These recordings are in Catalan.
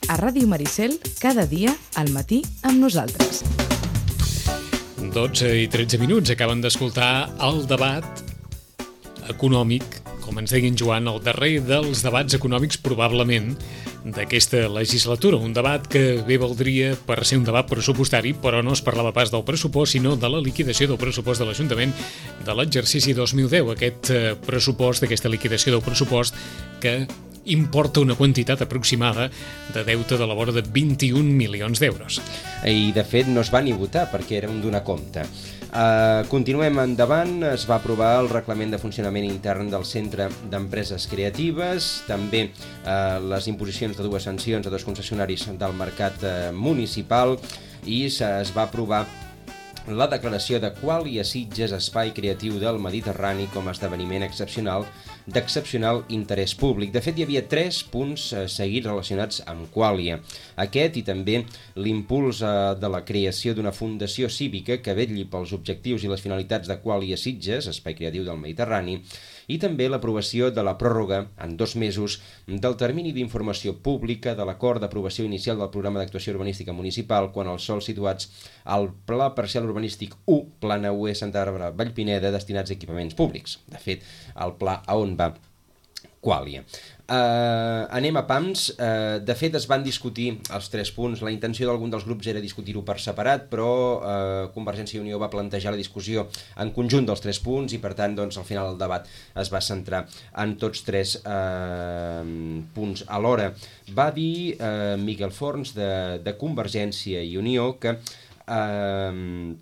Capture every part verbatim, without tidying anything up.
A Ràdio Maricel, cada dia, al matí, amb nosaltres. dotze i tretze minuts, acaben d'escoltar el debat econòmic, com ens deia en Joan, el darrer dels debats econòmics probablement d'aquesta legislatura. Un debat que bé valdria per ser un debat pressupostari, però no es parlava pas del pressupost, sinó de la liquidació del pressupost de l'Ajuntament de l'exercici dos mil deu. Aquest pressupost, aquesta liquidació del pressupost que importa una quantitat aproximada de deute de la vora de vint-i-un milions d'euros. I, de fet, no es va ni votar perquè era un donar compte. Uh, continuem endavant. Es va aprovar el reglament de funcionament intern del Centre d'Empreses Creatives, també uh, les imposicions de dues sancions a dos concessionaris del mercat uh, municipal, i es va aprovar la declaració de Qualia Sitges Espai Creatiu del Mediterrani com a esdeveniment excepcional d'excepcional interès públic. De fet, hi havia tres punts eh, seguits relacionats amb Qualia. Aquest i també l'impuls eh, de la creació d'una fundació cívica que vetlli pels objectius i les finalitats de Qualia Sitges, Espai Creatiu del Mediterrani, i també l'aprovació de la pròrroga en dos mesos del termini d'informació pública de l'acord d'aprovació inicial del programa d'actuació urbanística municipal quan els sòls situats al Pla Parcial Urbanístic u, Plana U E Santa Bàrbara Vallpineda, destinats a equipaments públics. De fet, el pla a on va Qualia. Uh, anem a pams. Uh, de fet, es van discutir els tres punts. La intenció d'algun dels grups era discutir-ho per separat, però uh, Convergència i Unió va plantejar la discussió en conjunt dels tres punts i, per tant, doncs, al final el debat es va centrar en tots tres uh, punts alhora. Va dir uh, Miquel Forns de, de Convergència i Unió que uh,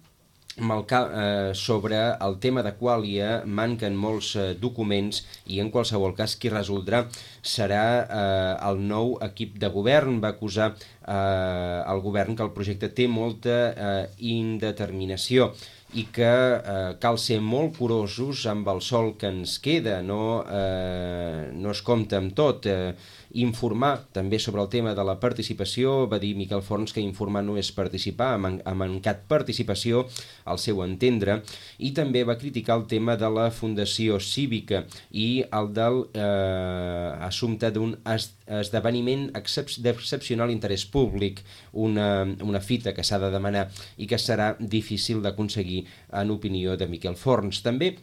Malca, eh, sobre el tema de Qualia manquen molts eh, documents i en qualsevol cas qui resoldrà serà eh, el nou equip de govern. Va acusar eh, el govern que el projecte té molta eh, indeterminació i que eh, cal ser molt curosos amb el sòl que ens queda, no, eh, no es compta amb tot. Eh, informar també sobre el tema de la participació. Va dir Miquel Forns que informar no és participar, ha mancat participació al seu entendre, i també va criticar el tema de la fundació cívica i el del eh, assumpte d'un es, esdeveniment excep d'excepcional interès públic, una, una fita que s'ha de demanar i que serà difícil d'aconseguir en opinió de Miquel Forns. També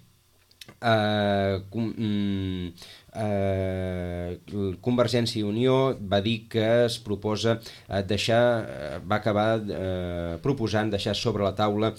eh, com, mm, Eh, Convergència i Unió va dir que es proposa eh, deixar, eh, va acabar eh, proposant deixar sobre la taula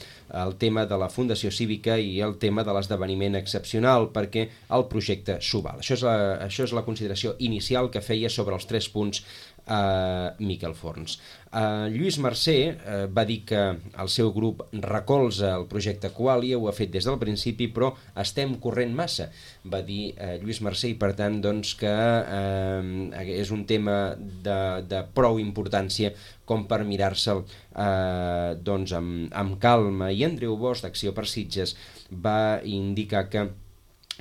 el tema de la fundació cívica i el tema de l'esdeveniment excepcional perquè el projecte s'ho val. Això és, la, això és la consideració inicial que feia sobre els tres punts eh, Miquel Forns. Eh, Lluís Mercè eh, va dir que el seu grup recolza el projecte Qualia, ho ha fet des del principi, però estem corrent massa, va dir eh, Lluís Mercè, i per tant doncs, que eh, és un tema de, de prou importància com per mirar-se'l eh, doncs amb, amb calma. I Andreu Bosch, d'Acció per Sitges, va indicar que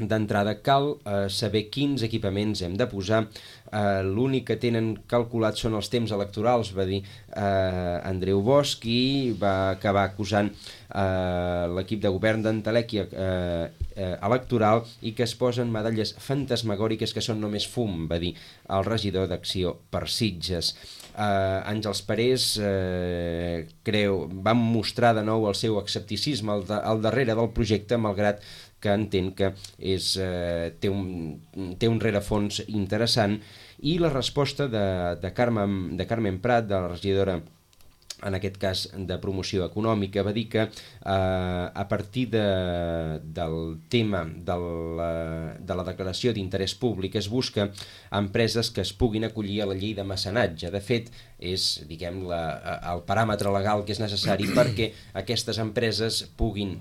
d'entrada cal eh, saber quins equipaments hem de posar. Uh, l'únic que tenen calculat són els temps electorals, va dir uh, Andreu Bosch, i va acabar acusant uh, l'equip de govern d'entelèquia uh, uh, electoral i que es posen medalles fantasmagòriques que són només fum, va dir el regidor d'Acció per Sitges. Uh, Àngels Parés uh, creu, va mostrar de nou el seu escepticisme al, de, al darrere del projecte, malgrat que entén que és, eh, té, un, té un rerefons interessant, i la resposta de, de, Carmen, de Carmen Prat, de la regidora, en aquest cas de promoció econòmica, va dir que eh, a partir de, del tema de la, de la declaració d'interès públic es busca empreses que es puguin acollir a la llei de mecenatge. De fet, és, diguem, la, el paràmetre legal que és necessari perquè aquestes empreses puguin,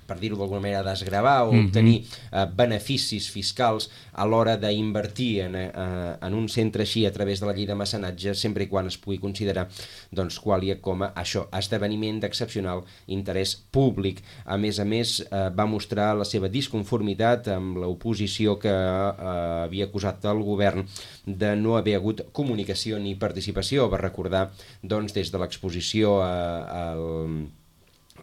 per dir-ho d'alguna manera, desgravar o obtenir eh, beneficis fiscals a l'hora d'invertir en, eh, en un centre així a través de la llei de mecenatge, sempre i quan es pugui considerar doncs, Qualia com a això, esdeveniment d'excepcional interès públic. A més a més, eh, va mostrar la seva disconformitat amb l'oposició que eh, havia acusat el govern de no haver hagut comunicació ni participació. Va recordar doncs, des de l'exposició a,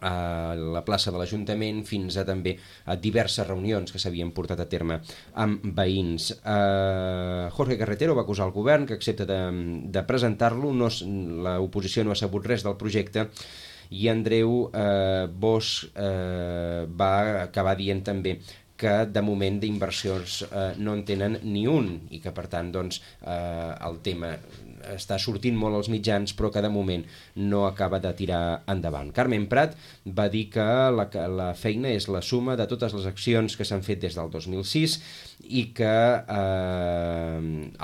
a a la plaça de l'Ajuntament, fins a també a diverses reunions que s'havien portat a terme amb veïns. Uh, Jorge Carretero va acusar el govern que accepta de, de presentar-lo, no, l'oposició no ha sabut res del projecte, i Andreu uh, Bosch uh, va acabar dient també que de moment d'inversions eh, no en tenen ni un i que per tant doncs, eh, el tema està sortint molt als mitjans però que de moment no acaba de tirar endavant. Carmen Prat va dir que la, la feina és la suma de totes les accions que s'han fet des del dos mil sis i que eh,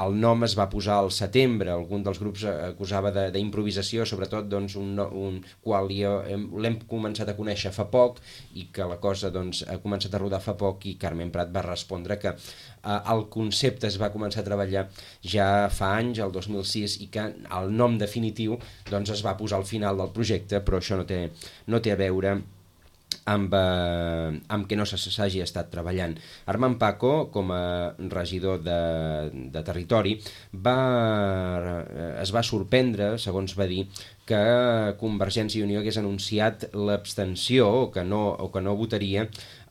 el nom es va posar al setembre. Algun dels grups acusava d'improvisació, sobretot doncs, un, un qual l'hem començat a conèixer fa poc i que la cosa doncs, ha començat a rodar fa poc, i Carmen Prat va respondre que eh, el concepte es va començar a treballar ja fa anys, el dos mil sis, i que el nom definitiu doncs, es va posar al final del projecte, però això no té, no té a veure amb, eh, amb que no s'hagi estat treballant. Armand Paco, com a regidor de, de territori, va, es va sorprendre, segons va dir, que Convergència i Unió hagués anunciat l'abstenció o que no, o que no votaria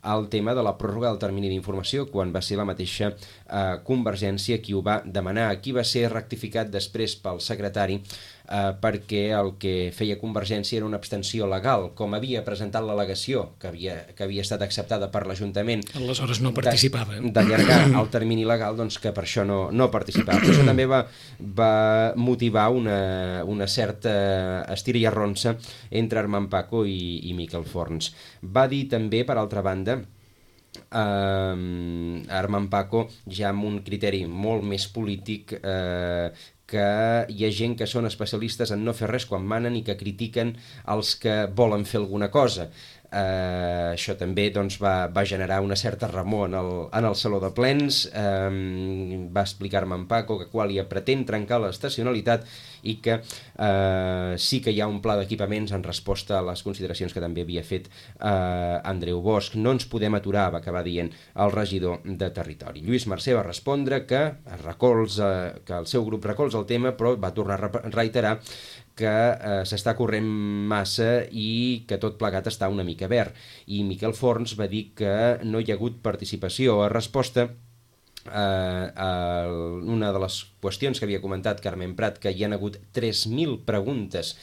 el tema de la pròrroga del termini d'informació, quan va ser la mateixa eh, Convergència qui ho va demanar. Aquí va ser rectificat després pel secretari eh, perquè el que feia Convergència era una abstenció legal, com havia presentat l'al·legació que havia, que havia estat acceptada per l'Ajuntament. Aleshores no participava. D'allargar el termini legal, doncs que per això no, no participava. Però això també va, va motivar una, una certa estira i arronsa entre Armand Paco i, i Miquel Forns. Va dir també, per altra banda, Uh, Armand Paco, ja amb un criteri molt més polític, uh, que hi ha gent que són especialistes en no fer res quan manen i que critiquen els que volen fer alguna cosa. Uh, això també doncs, va, va generar una certa remor en el, en el Saló de Plens. Uh, va explicar-me en Paco que Qualia pretén trencar l'estacionalitat i que uh, sí que hi ha un pla d'equipaments en resposta a les consideracions que també havia fet uh, Andreu Bosch. No ens podem aturar, va acabar dient el regidor de Territori. Lluís Mercè va respondre que, recolza, que el seu grup recolza el tema, però va tornar a reiterar que eh, s'està corrent massa i que tot plegat està una mica verd. I Miquel Forns va dir que no hi ha hagut participació. A resposta eh, a una de les qüestions que havia comentat Carmen Prat, que hi han hagut tres mil preguntes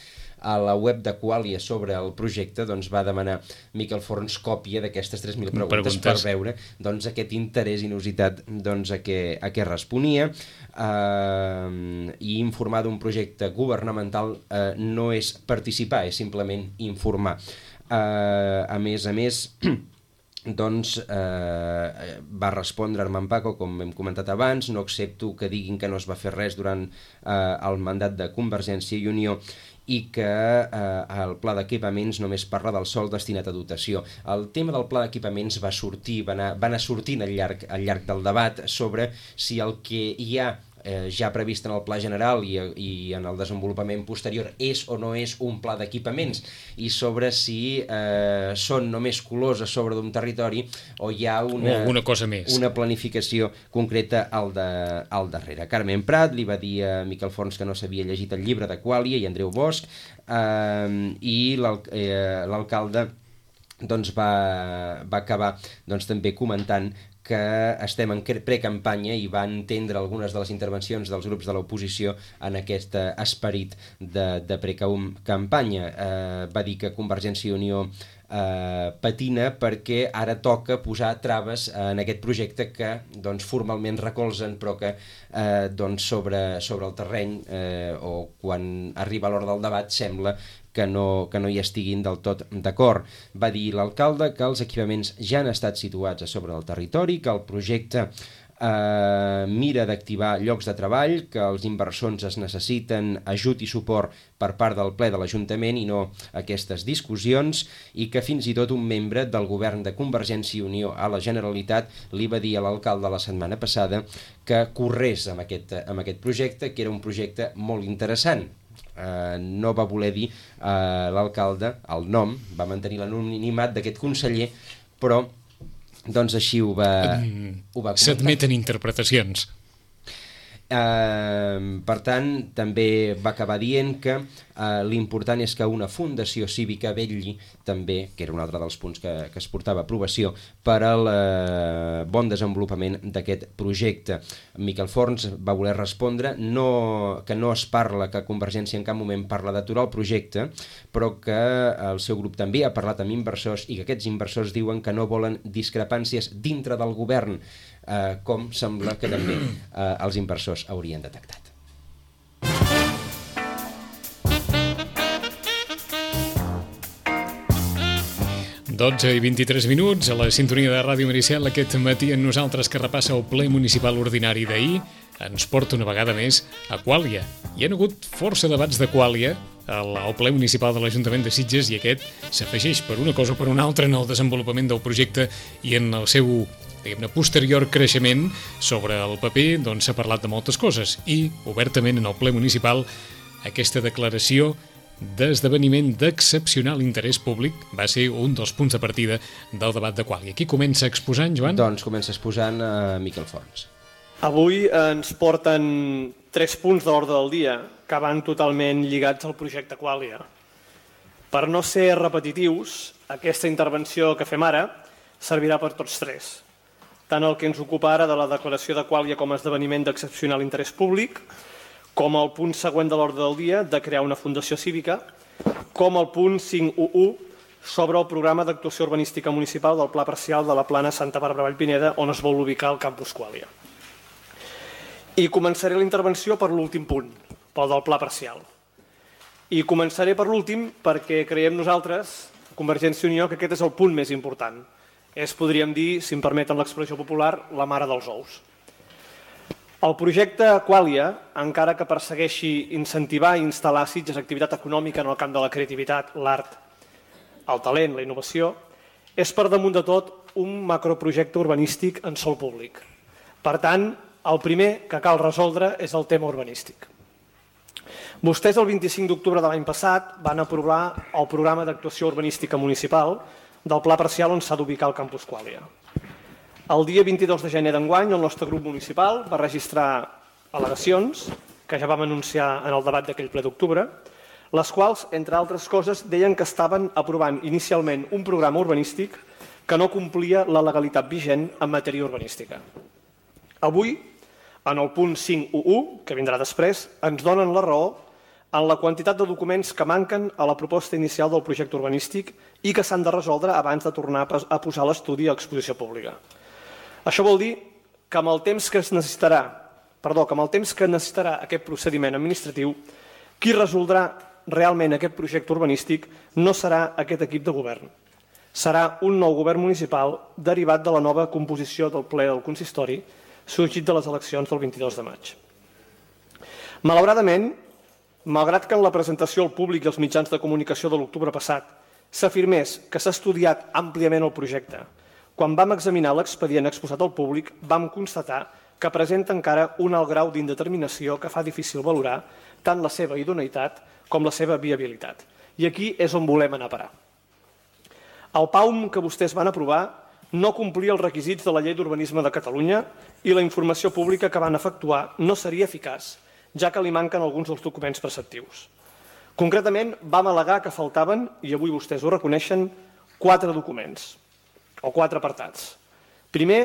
a la web de Qualia sobre el projecte, doncs va demanar Miquel Forns còpia d'aquestes tres mil preguntes, preguntes per veure doncs, aquest interès inusitat doncs, a, què, a què responia. Uh, i informar d'un projecte governamental uh, no és participar, és simplement informar. Uh, a més a més, doncs eh, va respondre Armand Paco, com hem comentat abans, no accepto que diguin que no es va fer res durant eh, el mandat de Convergència i Unió i que eh, el pla d'equipaments només parla del sòl destinat a dotació. El tema del pla d'equipaments va sortir, va anar, va anar sortint al llarg, al llarg del debat sobre si el que hi ha Eh, ja previst en el pla general i, i en el desenvolupament posterior és o no és un pla d'equipaments, i sobre si eh, són només colors a sobre d'un territori o hi ha una, una, cosa més. una planificació concreta al, de, al darrere. Carmen Prat li va dir a Miquel Forns que no s'havia llegit el llibre de Qualia i Andreu Bosch, eh, i l'alcalde doncs, va, va acabar doncs, també comentant que estem en precampanya i va entendre algunes de les intervencions dels grups de l'oposició en aquest esperit de, de precampanya. Eh, va dir que Convergència i Unió eh, patina perquè ara toca posar traves en aquest projecte que doncs, formalment recolzen, però que eh, doncs, sobre, sobre el terreny eh, o quan arriba l'hora del debat sembla que no, que no hi estiguin del tot d'acord. Va dir l'alcalde que els equipaments ja han estat situats a sobre del territori, que el projecte eh, mira d'activar llocs de treball, que els inversors es necessiten ajut i suport per part del ple de l'Ajuntament i no aquestes discussions, i que fins i tot un membre del govern de Convergència i Unió a la Generalitat li va dir a l'alcalde la setmana passada que corrés amb aquest, amb aquest projecte, que era un projecte molt interessant. Uh, no va voler dir uh, l'alcalde el nom, va mantenir l'anonimat d'aquest conseller, però doncs així ho va, mm, ho va comentar. S'admeten interpretacions. Uh, per tant, també va acabar dient que uh, l'important és que una fundació cívica vetlli també, que era un altre dels punts que, que es portava a aprovació, per al uh, bon desenvolupament d'aquest projecte. Miquel Forns va voler respondre no, que no es parla, que Convergència en cap moment parla d'aturar el projecte, però que el seu grup també ha parlat amb inversors i que aquests inversors diuen que no volen discrepàncies dintre del govern, eh, com sembla que també eh, els inversors haurien detectat. dotze i vint-i-tres minuts a la sintonia de Ràdio Maricel aquest matí en nosaltres, que repassa el ple municipal ordinari d'ahir, ens porta una vegada més a Quàlia. Hi ha hagut força debats de Quàlia al, al ple municipal de l'Ajuntament de Sitges i aquest s'afegeix per una cosa o per una altra en el desenvolupament del projecte i en el seu, diguem-ne, posterior creixement. Sobre el paper doncs s'ha parlat de moltes coses i obertament en el ple municipal aquesta declaració d'esdeveniment d'excepcional interès públic va ser un dels punts de partida del debat de Quàlia. Qui comença exposant, Joan? Doncs comença exposant uh, Miquel Forns. Avui ens porten tres punts d'ordre del dia que van totalment lligats al projecte Quàlia. Per no ser repetitius, aquesta intervenció que fem ara servirà per tots tres. Tant el que ens ocupa ara de la declaració de Quàlia com a esdeveniment d'excepcional interès públic, com el punt següent de l'ordre del dia de crear una fundació cívica, com el punt cinc cents i u sobre el programa d'actuació urbanística municipal del Pla Parcial de la Plana Santa Bàrbara Vallpineda, on es vol ubicar el campus Quàlia. I començaré la intervenció per l'últim punt, pel del Pla Parcial. I començaré per l'últim perquè creiem nosaltres, Convergència i Unió, que aquest és el punt més important. És, podríem dir, si em permeten l'expressió popular, la mare dels ous. El projecte Quàlia, encara que persegueixi incentivar i instal·lar a Sitges activitat econòmica en el camp de la creativitat, l'art, el talent, la innovació, és per damunt de tot un macroprojecte urbanístic en sòl públic. Per tant, el primer que cal resoldre és el tema urbanístic. Vostès el vint-i-cinc d'octubre de l'any passat van aprovar el programa d'actuació urbanística municipal del Pla Parcial on s'ha d'ubicar el campus Quàlia. El dia vint-i-dos de gener d'enguany, el nostre grup municipal va registrar al·legacions, que ja vam anunciar en el debat d'aquell ple d'octubre, les quals, entre altres coses, deien que estaven aprovant inicialment un programa urbanístic que no complia la legalitat vigent en matèria urbanística. Avui, en el punt cinc cents i u, que vindrà després, ens donen la raó en la quantitat de documents que manquen a la proposta inicial del projecte urbanístic i que s'han de resoldre abans de tornar a posar l'estudi a exposició pública. Això vol dir que amb el temps que es necessitarà, perdó, que amb el temps que necessitarà aquest procediment administratiu, qui resoldrà realment aquest projecte urbanístic no serà aquest equip de govern. Serà un nou govern municipal derivat de la nova composició del ple del consistori sorgit de les eleccions del vint-i-dos de maig. Malauradament, malgrat que en la presentació al públic i als mitjans de comunicació de l'octubre passat s'afirmés que s'ha estudiat àmpliament el projecte, quan vam examinar l'expedient exposat al públic, vam constatar que presenta encara un alt grau d'indeterminació que fa difícil valorar tant la seva idoneïtat com la seva viabilitat. I aquí és on volem anar a parar. El P A U M que vostès van aprovar no complia els requisits de la Llei d'Urbanisme de Catalunya i la informació pública que van efectuar no seria eficaç, ja que li manquen alguns dels documents preceptius. Concretament, vam al·legar que faltaven, i avui vostès ho reconeixen, quatre documents o quatre apartats. Primer,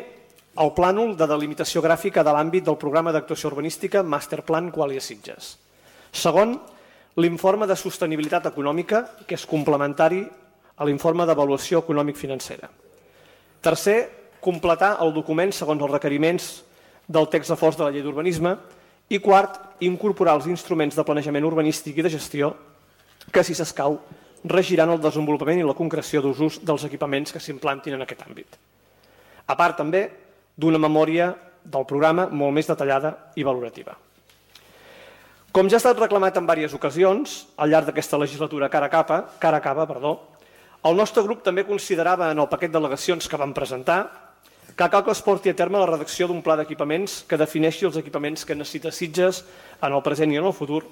el plànol de delimitació gràfica de l'àmbit del programa d'actuació urbanística Masterplan Quàlia Sitges. Segon, l'informe de sostenibilitat econòmica, que és complementari a l'informe d'avaluació econòmic-financera. Tercer, completar el document segons els requeriments del text refós de la Llei d'Urbanisme. I quart, incorporar els instruments de planejament urbanístic i de gestió que, si s'escau, regiran el desenvolupament i la concreció d'usos dels equipaments que s'implantin en aquest àmbit. A part, també, d'una memòria del programa molt més detallada i valorativa. Com ja ha estat reclamat en diverses ocasions, al llarg d'aquesta legislatura cara a capa, cara a capa, perdó, el nostre grup també considerava en el paquet d'al·legacions que vam presentar que cal que es porti a terme la redacció d'un pla d'equipaments que defineixi els equipaments que necessita Sitges en el present i en el futur,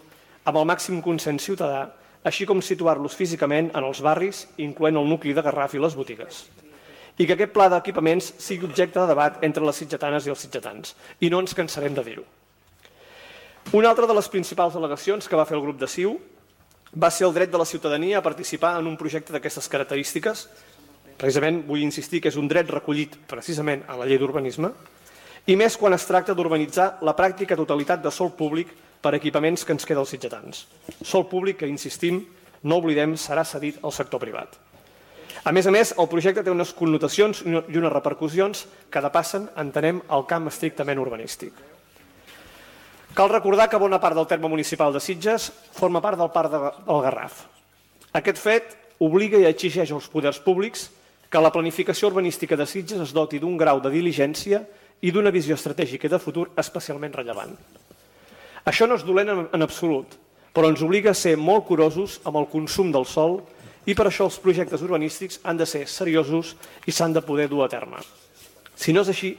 amb el màxim consens ciutadà, així com situar-los físicament en els barris, incloent el nucli de Garraf i les botigues. I que aquest pla d'equipaments sigui objecte de debat entre les sitgetanes i els sitgetans, i no ens cansarem de dir-ho. Una altra de les principals al·legacions que va fer el grup de C I U va ser el dret de la ciutadania a participar en un projecte d'aquestes característiques. Precisament vull insistir que és un dret recollit precisament a la llei d'urbanisme, i més quan es tracta d'urbanitzar la pràctica totalitat de sòl públic per equipaments que ens queda als sitgetans. Sòl públic que, insistim, no oblidem, serà cedit al sector privat. A més a més, el projecte té unes connotacions i unes repercussions que depassen, entenem, el camp estrictament urbanístic. Cal recordar que bona part del terme municipal de Sitges forma part del Parc del Garraf. Aquest fet obliga i exigeix als poders públics que la planificació urbanística de Sitges es doti d'un grau de diligència i d'una visió estratègica i de futur especialment rellevant. Això no és dolent en absolut, però ens obliga a ser molt curosos amb el consum del sòl i per això els projectes urbanístics han de ser seriosos i s'han de poder dur a terme. Si no és així,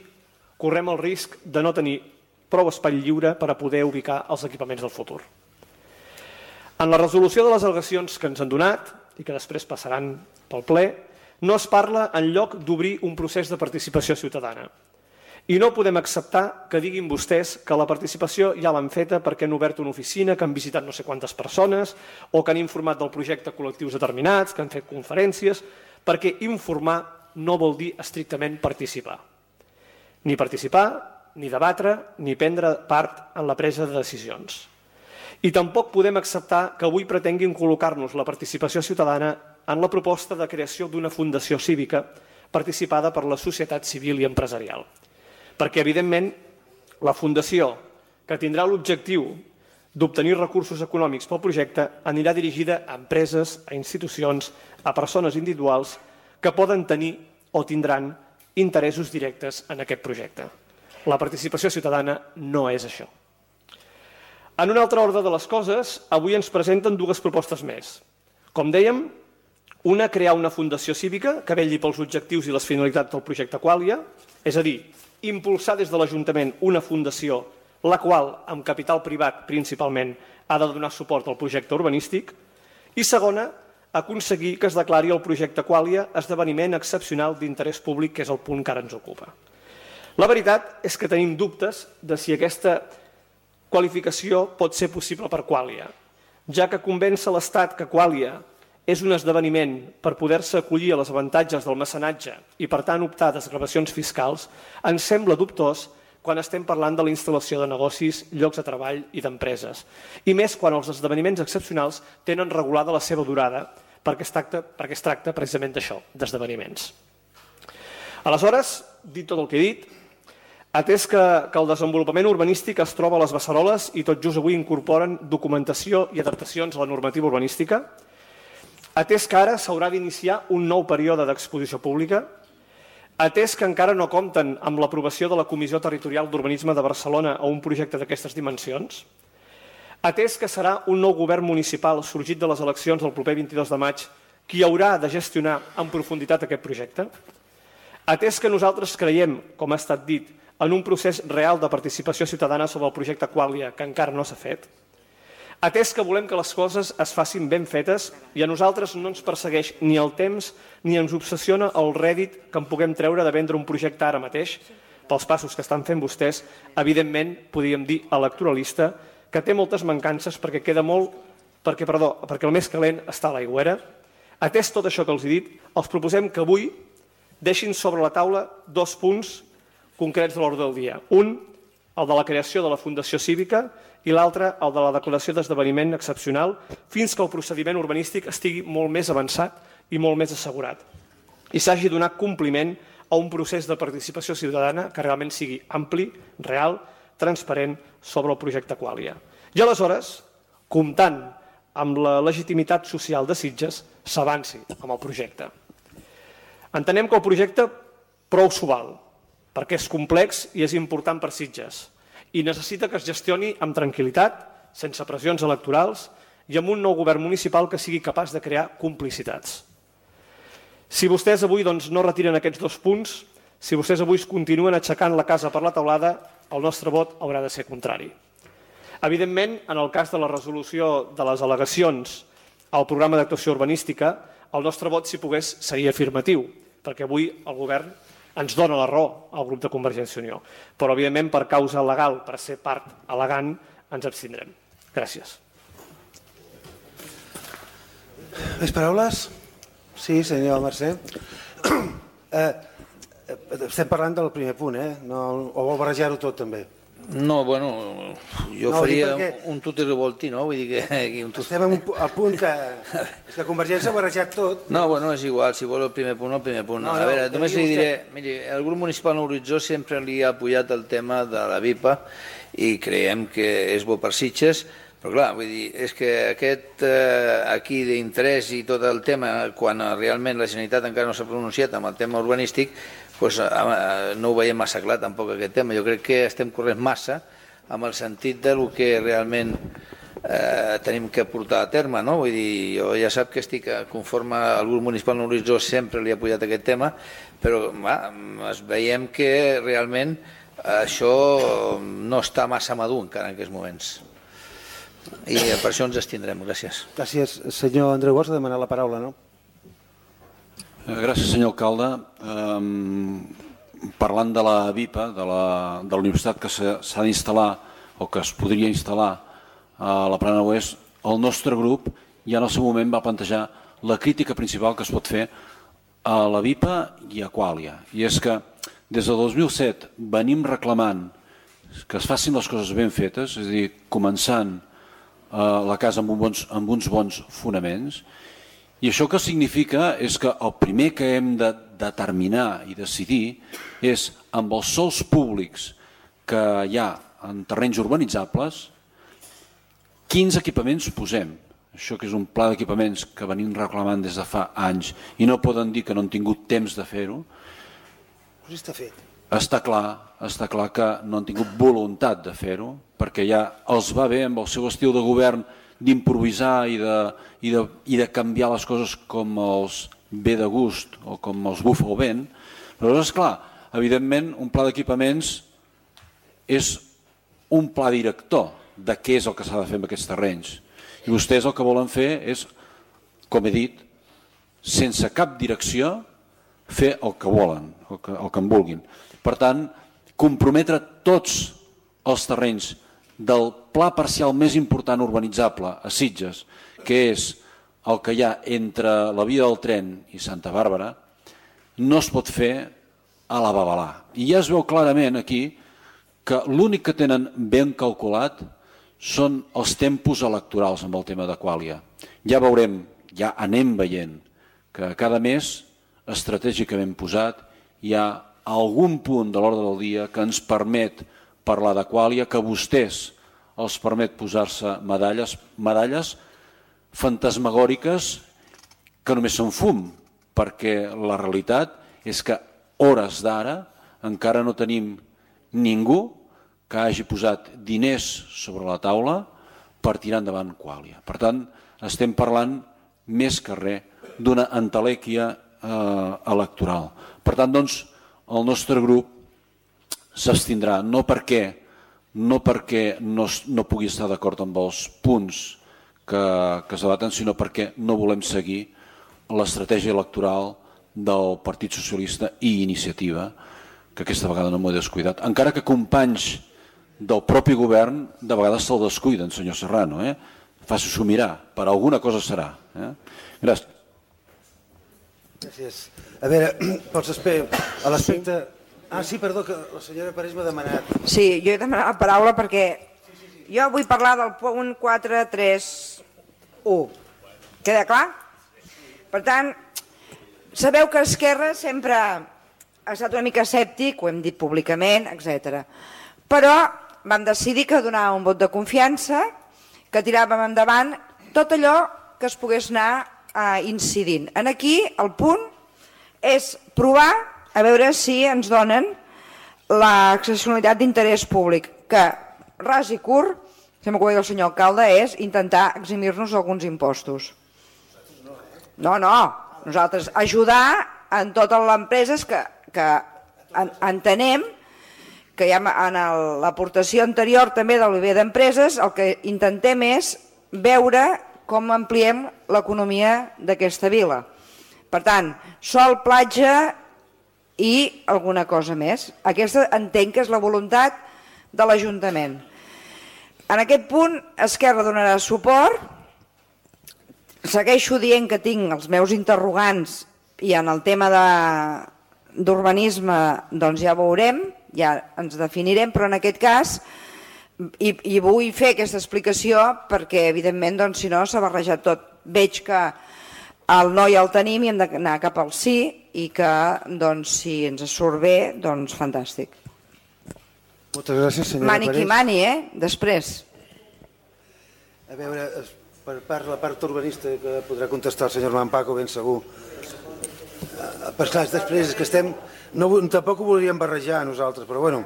correm el risc de no tenir prou espai lliure per a poder ubicar els equipaments del futur. En la resolució de les al·legacions que ens han donat, i que després passaran pel ple, no es parla en lloc d'obrir un procés de participació ciutadana. I no podem acceptar que diguin vostès que la participació ja l'han feta perquè han obert una oficina, que han visitat no sé quantes persones o que han informat del projecte col·lectius determinats, que han fet conferències, perquè informar no vol dir estrictament participar. Ni participar, ni debatre, ni prendre part en la presa de decisions. I tampoc podem acceptar que avui pretenguin col·locar-nos la participació ciutadana en la proposta de creació d'una fundació cívica participada per la societat civil i empresarial. Perquè, evidentment, la fundació, que tindrà l'objectiu d'obtenir recursos econòmics pel projecte, anirà dirigida a empreses, a institucions, a persones individuals que poden tenir o tindran interessos directes en aquest projecte. La participació ciutadana no és això. En un altre ordre de les coses, avui ens presenten dues propostes més. Com dèiem, una, crear una fundació cívica que vetlli pels objectius i les finalitats del projecte Quàlia, és a dir, impulsar des de l'Ajuntament una fundació, la qual, amb capital privat principalment, ha de donar suport al projecte urbanístic, i segona, aconseguir que es declari el projecte Quàlia esdeveniment excepcional d'interès públic, que és el punt que ara ens ocupa. La veritat és que tenim dubtes de si aquesta qualificació pot ser possible per Quàlia, ja que convèncer l'Estat que Quàlia és un esdeveniment per poder-se acollir a les avantatges del mecenatge i, per tant, optar a desgravacions fiscals, ens sembla dubtós quan estem parlant de la instal·lació de negocis, llocs de treball i d'empreses. I més quan els esdeveniments excepcionals tenen regulada la seva durada, perquè es tracta, perquè es tracta precisament d'això, d'esdeveniments. Aleshores, dit tot el que he dit, atès que, que el desenvolupament urbanístic es troba a les beceroles i tot just avui incorporen documentació i adaptacions a la normativa urbanística, atès que ara s'haurà d'iniciar un nou període d'exposició pública, atès que encara no compten amb l'aprovació de la Comissió Territorial d'Urbanisme de Barcelona a un projecte d'aquestes dimensions, atès que serà un nou govern municipal sorgit de les eleccions del proper vint-i-dos de maig qui haurà de gestionar en profunditat aquest projecte, atès que nosaltres creiem, com ha estat dit, en un procés real de participació ciutadana sobre el projecte Quàlia que encara no s'ha fet, atès que volem que les coses es facin ben fetes i a nosaltres no ens persegueix ni el temps ni ens obsessiona el rèdit que en puguem treure de vendre un projecte ara mateix, pels passos que estan fent vostès, evidentment, podríem dir electoralista, que té moltes mancances perquè queda molt, perquè, perdó, perquè el més calent està a l'aigüera. Atès tot això que els he dit, els proposem que avui deixin sobre la taula dos punts concrets de l'ordre del dia. Un, el de la creació de la Fundació Cívica, i l'altre, el de la declaració d'esdeveniment excepcional, fins que el procediment urbanístic estigui molt més avançat i molt més assegurat i s'hagi donat compliment a un procés de participació ciutadana que realment sigui ampli, real, transparent sobre el projecte Quàlia. I aleshores, comptant amb la legitimitat social de Sitges, s'avanci amb el projecte. Entenem que el projecte prou s'ho val, perquè és complex i és important per Sitges, i necessita que es gestioni amb tranquil·litat, sense pressions electorals i amb un nou govern municipal que sigui capaç de crear complicitats. Si vostès avui doncs, no retiren aquests dos punts, si vostès avui continuen aixecant la casa per la teulada, el nostre vot haurà de ser contrari. Evidentment, en el cas de la resolució de les al·legacions al programa d'actuació urbanística, el nostre vot, si pogués, seria afirmatiu, perquè avui el govern ens dona la raó al grup de Convergència i Unió. Però, evidentment, per causa legal, per ser part al·legant, ens abstindrem. Gràcies. Més paraules? Sí, senyor Mercè. Eh, estem parlant del primer punt, eh? No, o vol barrejar-ho tot, també? No, bueno, jo No, faria perquè... un tutti revolti, no? Vull dir que... que un tutti... Estem en un, al punt que, que Convergència ha barrejat tot. No, bueno, és igual, si vol el primer punt, el primer punt. No, a no, veure, només li vostè... diré, miri, el grup municipal en Horitzó sempre li ha apoyat el tema de la V I P A i creiem que és bo per Sitges, però clar, vull dir, és que aquest eh, aquí d'interès i tot el tema, quan realment la Generalitat encara no s'ha pronunciat amb el tema urbanístic, doncs, eh, no ho veiem massa clar tampoc aquest tema. Jo crec que estem corrent massa amb el sentit del que realment eh, tenim que portar a terme, no? Vull dir, jo ja sap que estic conforme al grup municipal en Horitzó, sempre li ha apoyat aquest tema, però va, es veiem que realment això no està massa madur encara en aquests moments. I per això ens estindrem. Gràcies. Gràcies. Senyor Andreu Bosch ha demanat la paraula, no? Gràcies, senyor alcalde. Um, parlant de la V I P A, de la, de la universitat que s'ha d'instal·lar o que es podria instal·lar a la Plana Oest, el nostre grup ja en el seu moment va plantejar la crítica principal que es pot fer a la V I P A i a Quàlia. I és que des del dos mil set venim reclamant que es facin les coses ben fetes, és a dir, començant la casa amb, un bons, amb uns bons fonaments, i això que significa és que el primer que hem de determinar i decidir és amb els sòls públics que hi ha en terrenys urbanitzables quins equipaments posem. Això que és un pla d'equipaments que venim reclamant des de fa anys i no poden dir que no han tingut temps de fer-ho. Pues està fet. Està clar, està clar que no han tingut voluntat de fer-ho, perquè ja els va bé amb el seu estil de govern d'improvisar i de, i, de, i de canviar les coses com els ve de gust o com els bufa el vent. Però és clar, evidentment un pla d'equipaments és un pla director de què és el que s'ha de fer amb aquests terrenys. I vostès el que volen fer és, com he dit, sense cap direcció, fer el que volen, el que, el que en vulguin. Per tant, comprometre tots els terrenys del pla parcial més important urbanitzable a Sitges, que és el que hi ha entre la via del tren i Santa Bàrbara, no es pot fer a la babalà. I ja es veu clarament aquí que l'únic que tenen ben calculat són els tempos electorals amb el tema de Quàlia. Ja veurem, ja anem veient que cada mes estratègicament posat hi ha algun punt de l'ordre del dia que ens permet parlar de Quàlia, que a vostès els permet posar-se medalles, medalles fantasmagòriques que només són fum, perquè la realitat és que hores d'ara encara no tenim ningú que hagi posat diners sobre la taula per tirar endavant Quàlia. Per tant, estem parlant més que res d'una entelèquia eh, electoral. Per tant, doncs, el nostre grup s'abstindrà, no perquè no, perquè no, no pugui estar d'acord amb els punts que, que es debaten, sinó perquè no volem seguir l'estratègia electoral del Partit Socialista i Iniciativa, que aquesta vegada no m'ho he descuidat. Encara que companys del propi govern de vegades se'l descuiden, senyor Serrano. Eh? Faci-s'ho mirar, per alguna cosa serà. Eh? Gràcies. Gràcies. A veure, a l'aspecte... Ah, sí, perdó, que la senyora Parés m'ha demanat. Sí, jo he demanat la paraula perquè jo vull parlar del punt quatre tres u. Queda clar? Per tant, sabeu que Esquerra sempre ha estat una mica escèptic, ho hem dit públicament, etcètera. Però vam decidir que donàvem un vot de confiança, que tiràvem endavant tot allò que es pogués anar eh, incidint. En aquí el punt és provar a veure si ens donen l'accessibilitat d'interès públic, que ras i curt, sembla que ho deia el senyor alcalde, és intentar eximir-nos alguns impostos. No, no, nosaltres ajudar en totes les empreses que, que en, entenem que ja en l'aportació anterior també de l'O I B d'empreses el que intentem és veure com ampliem l'economia d'aquesta vila. Per tant, sol, platja i alguna cosa més. Aquesta entenc que és la voluntat de l'Ajuntament. En aquest punt, Esquerra donarà suport. Segueixo dient que tinc els meus interrogants i en el tema d'urbanisme doncs ja veurem, ja ens definirem, però en aquest cas, i, i vull fer aquesta explicació perquè evidentment doncs, si no s'ha barrejat tot. Veig que el no ja el tenim i hem d'anar cap al sí i que doncs, si ens surt bé, doncs fantàstic. Moltes gràcies, senyora Mani qui mani, eh? Després. A veure, per part, la part urbanista que podrà contestar el senyor Mampaco, ben segur. Per clar, després és que estem... No, tampoc ho volíem barrejar nosaltres, però bueno.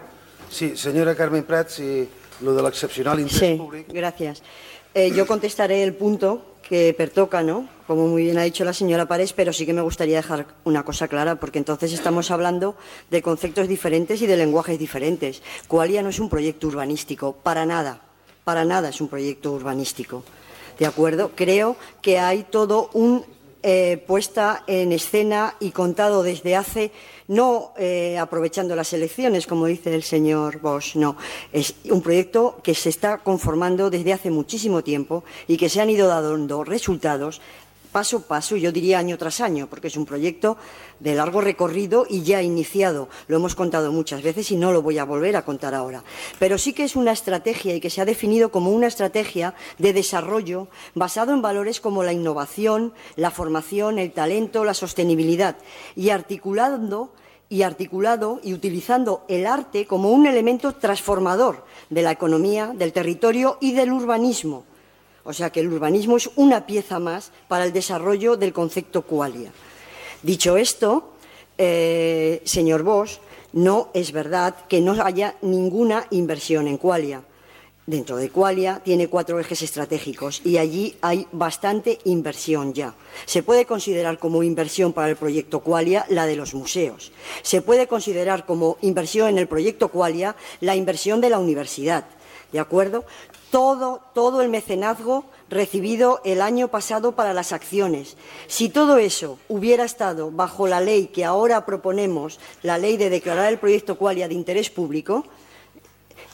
Sí, senyora Carmen Prat, si lo de l'excepcional interés sí, públic... Sí, gracias. Eh, yo contestaré el punto que pertoca, ¿no? Como muy bien ha dicho la señora Pares, pero sí que me gustaría dejar una cosa clara, porque entonces estamos hablando de conceptos diferentes y de lenguajes diferentes. Qualia no es un proyecto urbanístico, para nada, para nada es un proyecto urbanístico, ¿de acuerdo? Creo que hay todo un eh, puesta en escena y contado desde hace, no eh, aprovechando las elecciones, como dice el señor Bosch, no, es un proyecto que se está conformando desde hace muchísimo tiempo y que se han ido dando resultados paso a paso, yo diría año tras año, porque es un proyecto de largo recorrido y ya iniciado. Lo hemos contado muchas veces y no lo voy a volver a contar ahora. Pero sí que es una estrategia y que se ha definido como una estrategia de desarrollo basado en valores como la innovación, la formación, el talento, la sostenibilidad y articulando y articulado y utilizando el arte como un elemento transformador de la economía, del territorio y del urbanismo. O sea que el urbanismo es una pieza más para el desarrollo del concepto Qualia. Dicho esto, eh, señor Bosch, no es verdad que no haya ninguna inversión en Qualia. Dentro de Qualia tiene cuatro ejes estratégicos y allí hay bastante inversión ya. Se puede considerar como inversión para el proyecto Qualia la de los museos. Se puede considerar como inversión en el proyecto Qualia la inversión de la universidad. ¿De acuerdo? Todo, todo el mecenazgo recibido el año pasado para las acciones. Si todo eso hubiera estado bajo la ley que ahora proponemos, la ley de declarar el proyecto Qualia de interés público,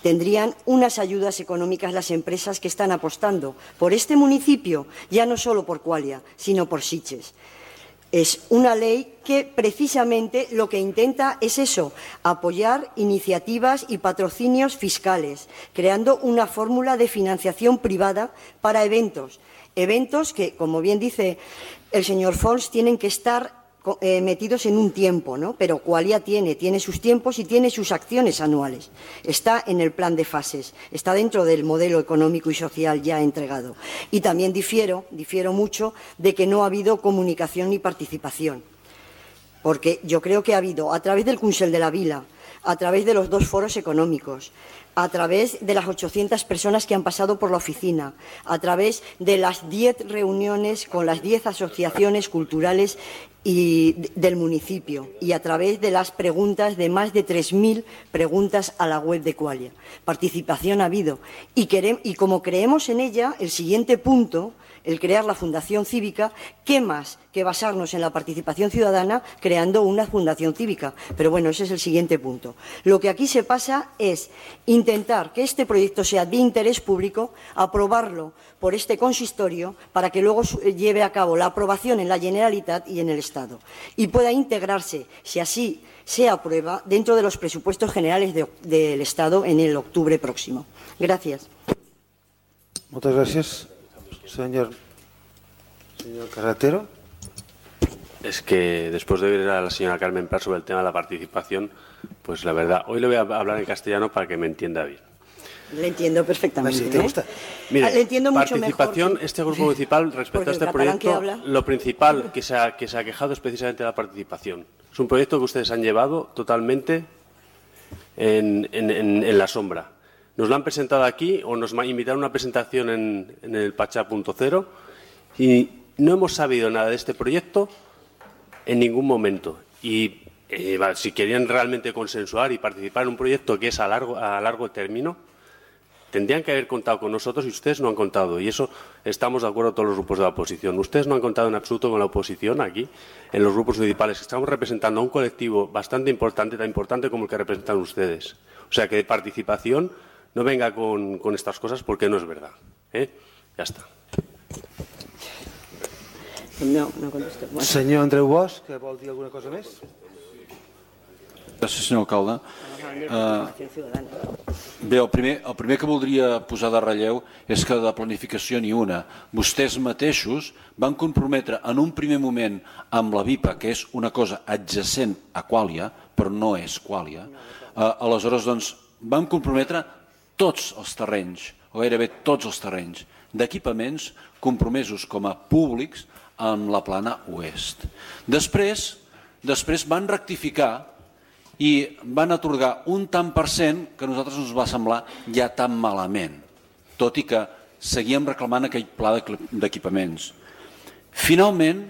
tendrían unas ayudas económicas las empresas que están apostando por este municipio, ya no solo por Qualia, sino por Sitges. Es una ley que precisamente lo que intenta es eso, apoyar iniciativas y patrocinios fiscales, creando una fórmula de financiación privada para eventos. Eventos que, como bien dice el señor Fons, tienen que estar eh, metidos en un tiempo, ¿no? Pero Qualia tiene, tiene sus tiempos y tiene sus acciones anuales. Está en el plan de fases, está dentro del modelo económico y social ya entregado. Y también difiero, difiero mucho de que no ha habido comunicación ni participación. Porque yo creo que ha habido, a través del Consell de la Vila, a través de los dos foros económicos, a través de las ochocientas personas que han pasado por la oficina, a través de las diez reuniones con las diez asociaciones culturales y del municipio y a través de las preguntas de más de tres mil preguntas a la web de Qualia. Participación ha habido y, queremos, y como creemos en ella, el siguiente punto, el crear la Fundación Cívica, ¿qué más que basarnos en la participación ciudadana creando una Fundación Cívica? Pero bueno, ese es el siguiente punto. Lo que aquí se pasa es intentar que este proyecto sea de interés público, aprobarlo por este consistorio para que luego lleve a cabo la aprobación en la Generalitat y en el Estado y pueda integrarse, si así se aprueba, dentro de los presupuestos generales de, del Estado en el octubre próximo. Gracias. Muchas gracias. Señor, señor Carretero. Es que después de oír a la señora Carmen Prat sobre el tema de la participación, pues la verdad, hoy le voy a hablar en castellano para que me entienda bien. Le entiendo perfectamente. ¿Sí te gusta? ¿eh? Mire, Le entiendo mucho participación, mejor que... este grupo municipal respecto a este proyecto, lo principal que se, ha, que se ha quejado es precisamente la participación. Es un proyecto que ustedes han llevado totalmente en, en, en, en la sombra. Nos lo han presentado aquí o nos invitaron a una presentación en, en el Pachá punto cero y no hemos sabido nada de este proyecto en ningún momento. Y eh, si querían realmente consensuar y participar en un proyecto que es a largo, a largo término, tendrían que haber contado con nosotros y ustedes no han contado. Y eso estamos de acuerdo todos los grupos de la oposición. Ustedes no han contado en absoluto con la oposición aquí, en los grupos municipales. Estamos representando a un colectivo bastante importante, tan importante como el que representan ustedes. O sea que de participación no venga con, con estas cosas porque no es verdad. ¿eh? Ya está. No, no contesto. Bueno. Senyor Andreu Bosch, que vol dir alguna cosa més? Gràcies, senyor alcalde. Uh, bé, el primer, el primer que voldria posar de relleu és que de planificació ni una. Vostès mateixos van comprometre en un primer moment amb la VIPA, que és una cosa adjacent a Quàlia, però no és Quàlia. Uh, aleshores, doncs, van comprometre tots els terrenys, o gairebé tots els terrenys, d'equipaments compromesos com a públics en la plana oest. Després, després van rectificar i van atorgar un tant per cent que a nosaltres ens va semblar ja tan malament, tot i que seguíem reclamant aquell pla d'equipaments. Finalment,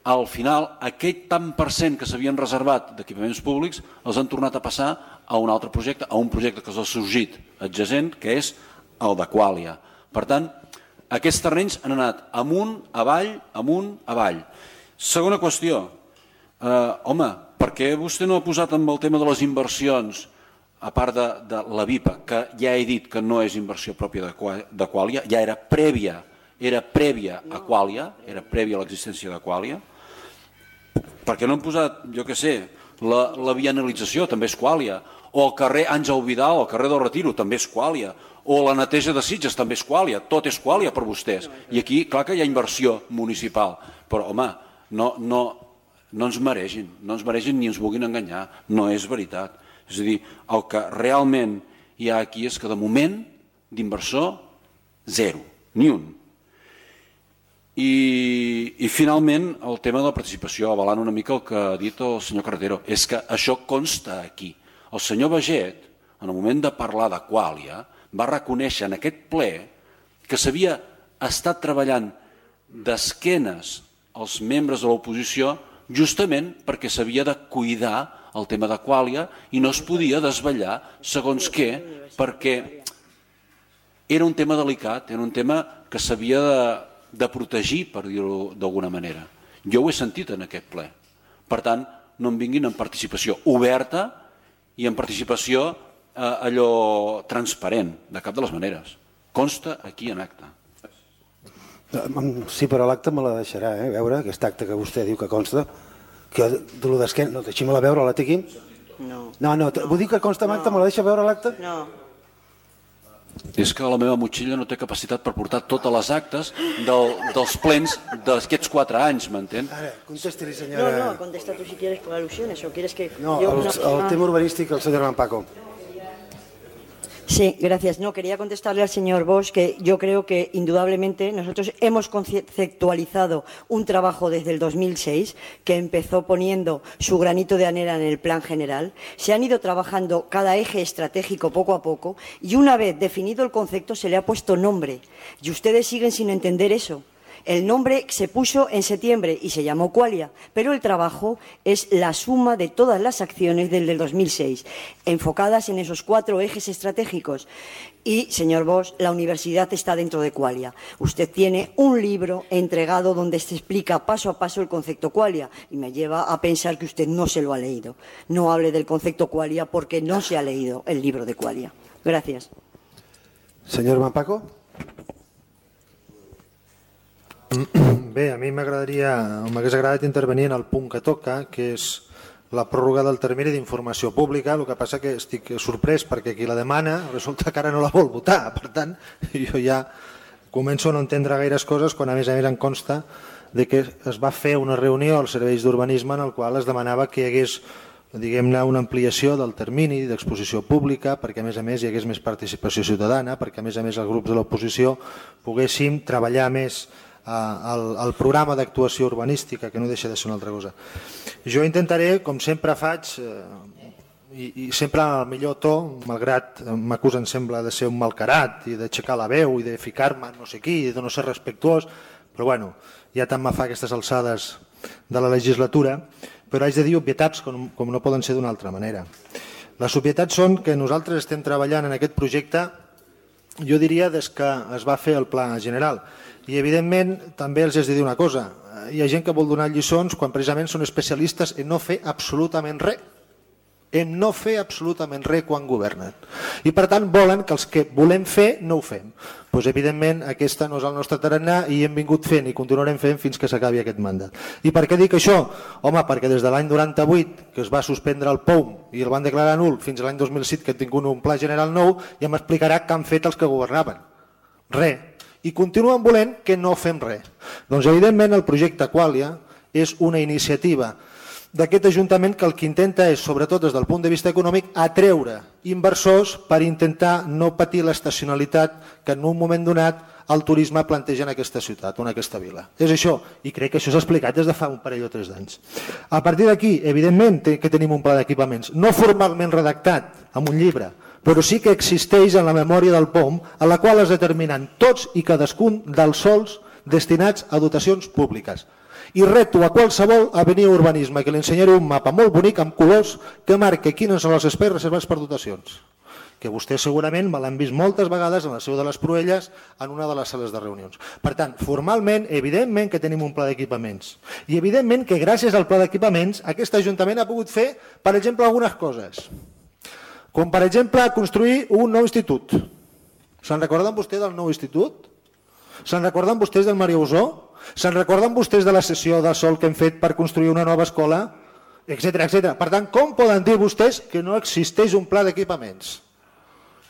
al final, aquell tant per cent que s'havien reservat d'equipaments públics els han tornat a passar a un altre projecte, a un projecte que s'ha sorgit adjacent, que és el de Quàlia. Per tant, aquests terrenys han anat amunt, avall, amunt, avall. Segona qüestió, eh, home, per què vostè no ha posat amb el tema de les inversions, a part de, de la VIPA, que ja he dit que no és inversió pròpia de, de Quàlia, ja era prèvia, era prèvia a Quàlia, era prèvia a l'existència de Quàlia? Per què no han posat, jo què sé, la, la vianalització, també és Quàlia, o el carrer Àngel Vidal, el carrer del Retiro, també és Quàlia, o la neteja de Sitges, també és Quàlia, tot és Quàlia per vostès. I aquí, clar que hi ha inversió municipal, però, home, no, no, no ens mereixin, no ens mereixin ni ens vulguin enganyar, no és veritat. És a dir, el que realment hi ha aquí és que de moment d'inversor, zero, ni un. I, i finalment el tema de la participació, avalant una mica el que ha dit el senyor Carretero, és que això consta aquí. El senyor Baget, en el moment de parlar de Quàlia, va reconèixer en aquest ple que s'havia estat treballant d'esquenes als membres de l'oposició justament perquè s'havia de cuidar el tema de Quàlia i no es podia desvetllar segons què, perquè era un tema delicat, era un tema que s'havia de, de protegir, per dir-ho d'alguna manera. Jo ho he sentit en aquest ple. Per tant, no em vinguin en participació oberta i en participació eh, allò transparent, de cap de les maneres. Consta aquí en acta. Sí, però l'acta me la deixarà, eh, veure, aquest acte que vostè diu que consta, que de lo d'esquena, no, deixi-me-la veure, la té aquí? No. No, no, vull dir que consta en acta, me la deixa veure l'acta? No. És que la meva motxilla no té capacitat per portar totes les actes del, dels plens d'aquests quatre anys, m'entén? Ara, contesti-li, senyora... No, no, contesta tu si quieres por alusiones o quieres que... No, yo... el, el ah. tema urbanístic, el senyor Manpaco. Sí, gracias. No, quería contestarle al señor Bosch que yo creo que indudablemente nosotros hemos conceptualizado un trabajo desde el dos mil seis que empezó poniendo su granito de arena en el plan general. Se han ido trabajando cada eje estratégico poco a poco y una vez definido el concepto se le ha puesto nombre. Y ustedes siguen sin entender eso. El nombre se puso en septiembre y se llamó Quàlia, pero el trabajo es la suma de todas las acciones desde el dos mil seis, enfocadas en esos cuatro ejes estratégicos. Y, señor Bosch, la universidad está dentro de Quàlia. Usted tiene un libro entregado donde se explica paso a paso el concepto Quàlia y me lleva a pensar que usted no se lo ha leído. No hable del concepto Quàlia porque no se ha leído el libro de Quàlia. Gracias. Senyor Manpaco. Bé, a mi m'agradaria, m'hagués agradat intervenir en el punt que toca, que és la pròrroga del termini d'informació pública. El que passa que estic sorprès perquè qui la demana resulta que ara no la vol votar. Per tant, jo ja començo a no entendre gaires coses quan a més a més em consta de que es va fer una reunió als serveis d'urbanisme en el qual es demanava que hi hagués, diguem-ne, una ampliació del termini d'exposició pública perquè a més a més hi hagués més participació ciutadana, perquè a més a més els grups de l'oposició poguéssim treballar més El, el programa d'actuació urbanística, que no deixa de ser una altra cosa. Jo intentaré, com sempre faig, eh, i, i sempre al millor to, malgrat m'acusen sembla de ser un malcarat i d'aixecar la veu i de ficar-me no sé qui i de no ser respectuós, però bueno, ja tant me fa aquestes alçades de la legislatura, però haig de dir obvietats com, com no poden ser d'una altra manera. Les obvietats són que nosaltres estem treballant en aquest projecte, jo diria, des que es va fer el pla general. I evidentment també els has de dir una cosa, hi ha gent que vol donar lliçons quan precisament són especialistes en no fer absolutament res. en no fer absolutament res quan governen. I per tant volen que els que volem fer no ho fem. Doncs evidentment aquesta no és el nostre tarannà i hem vingut fent i continuarem fent fins que s'acabi aquest mandat. I per què dic això? Home, perquè des de l'any noranta-vuit, que es va suspendre el P O U M i el van declarar nul, fins a l'any dos mil set, que han tingut un pla general nou, ja m'explicarà què han fet els que governaven. Res. I continuen volent que no fem res. Doncs evidentment el projecte Qualia és una iniciativa d'aquest Ajuntament que el que intenta és, sobretot des del punt de vista econòmic, atreure inversors per intentar no patir l'estacionalitat que en un moment donat el turisme planteja en aquesta ciutat o en aquesta vila. És això, i crec que això s'ha explicat des de fa un parell o tres d'anys. A partir d'aquí, evidentment que tenim un pla d'equipaments, no formalment redactat amb un llibre, però sí que existeix en la memòria del P O M, a la qual es determinen tots i cadascun dels sols destinats a dotacions públiques. I reto a qualsevol a venir a urbanisme que li ensenyaré un mapa molt bonic amb colors que marca quines són els espais reservats per dotacions, que vostès segurament me l'han vist moltes vegades en la seu de les Proelles en una de les sales de reunions. Per tant, formalment, evidentment que tenim un pla d'equipaments i evidentment que gràcies al pla d'equipaments aquest Ajuntament ha pogut fer, per exemple, algunes coses. Com per exemple construir un nou institut. Se'n recorden vostès del nou institut? Se'n recorden vostès del Maria Usó? Se'n recorden vostès de la sessió de sol que hem fet per construir una nova escola? Etcètera, etcètera. Per tant, com poden dir vostès que no existeix un pla d'equipaments?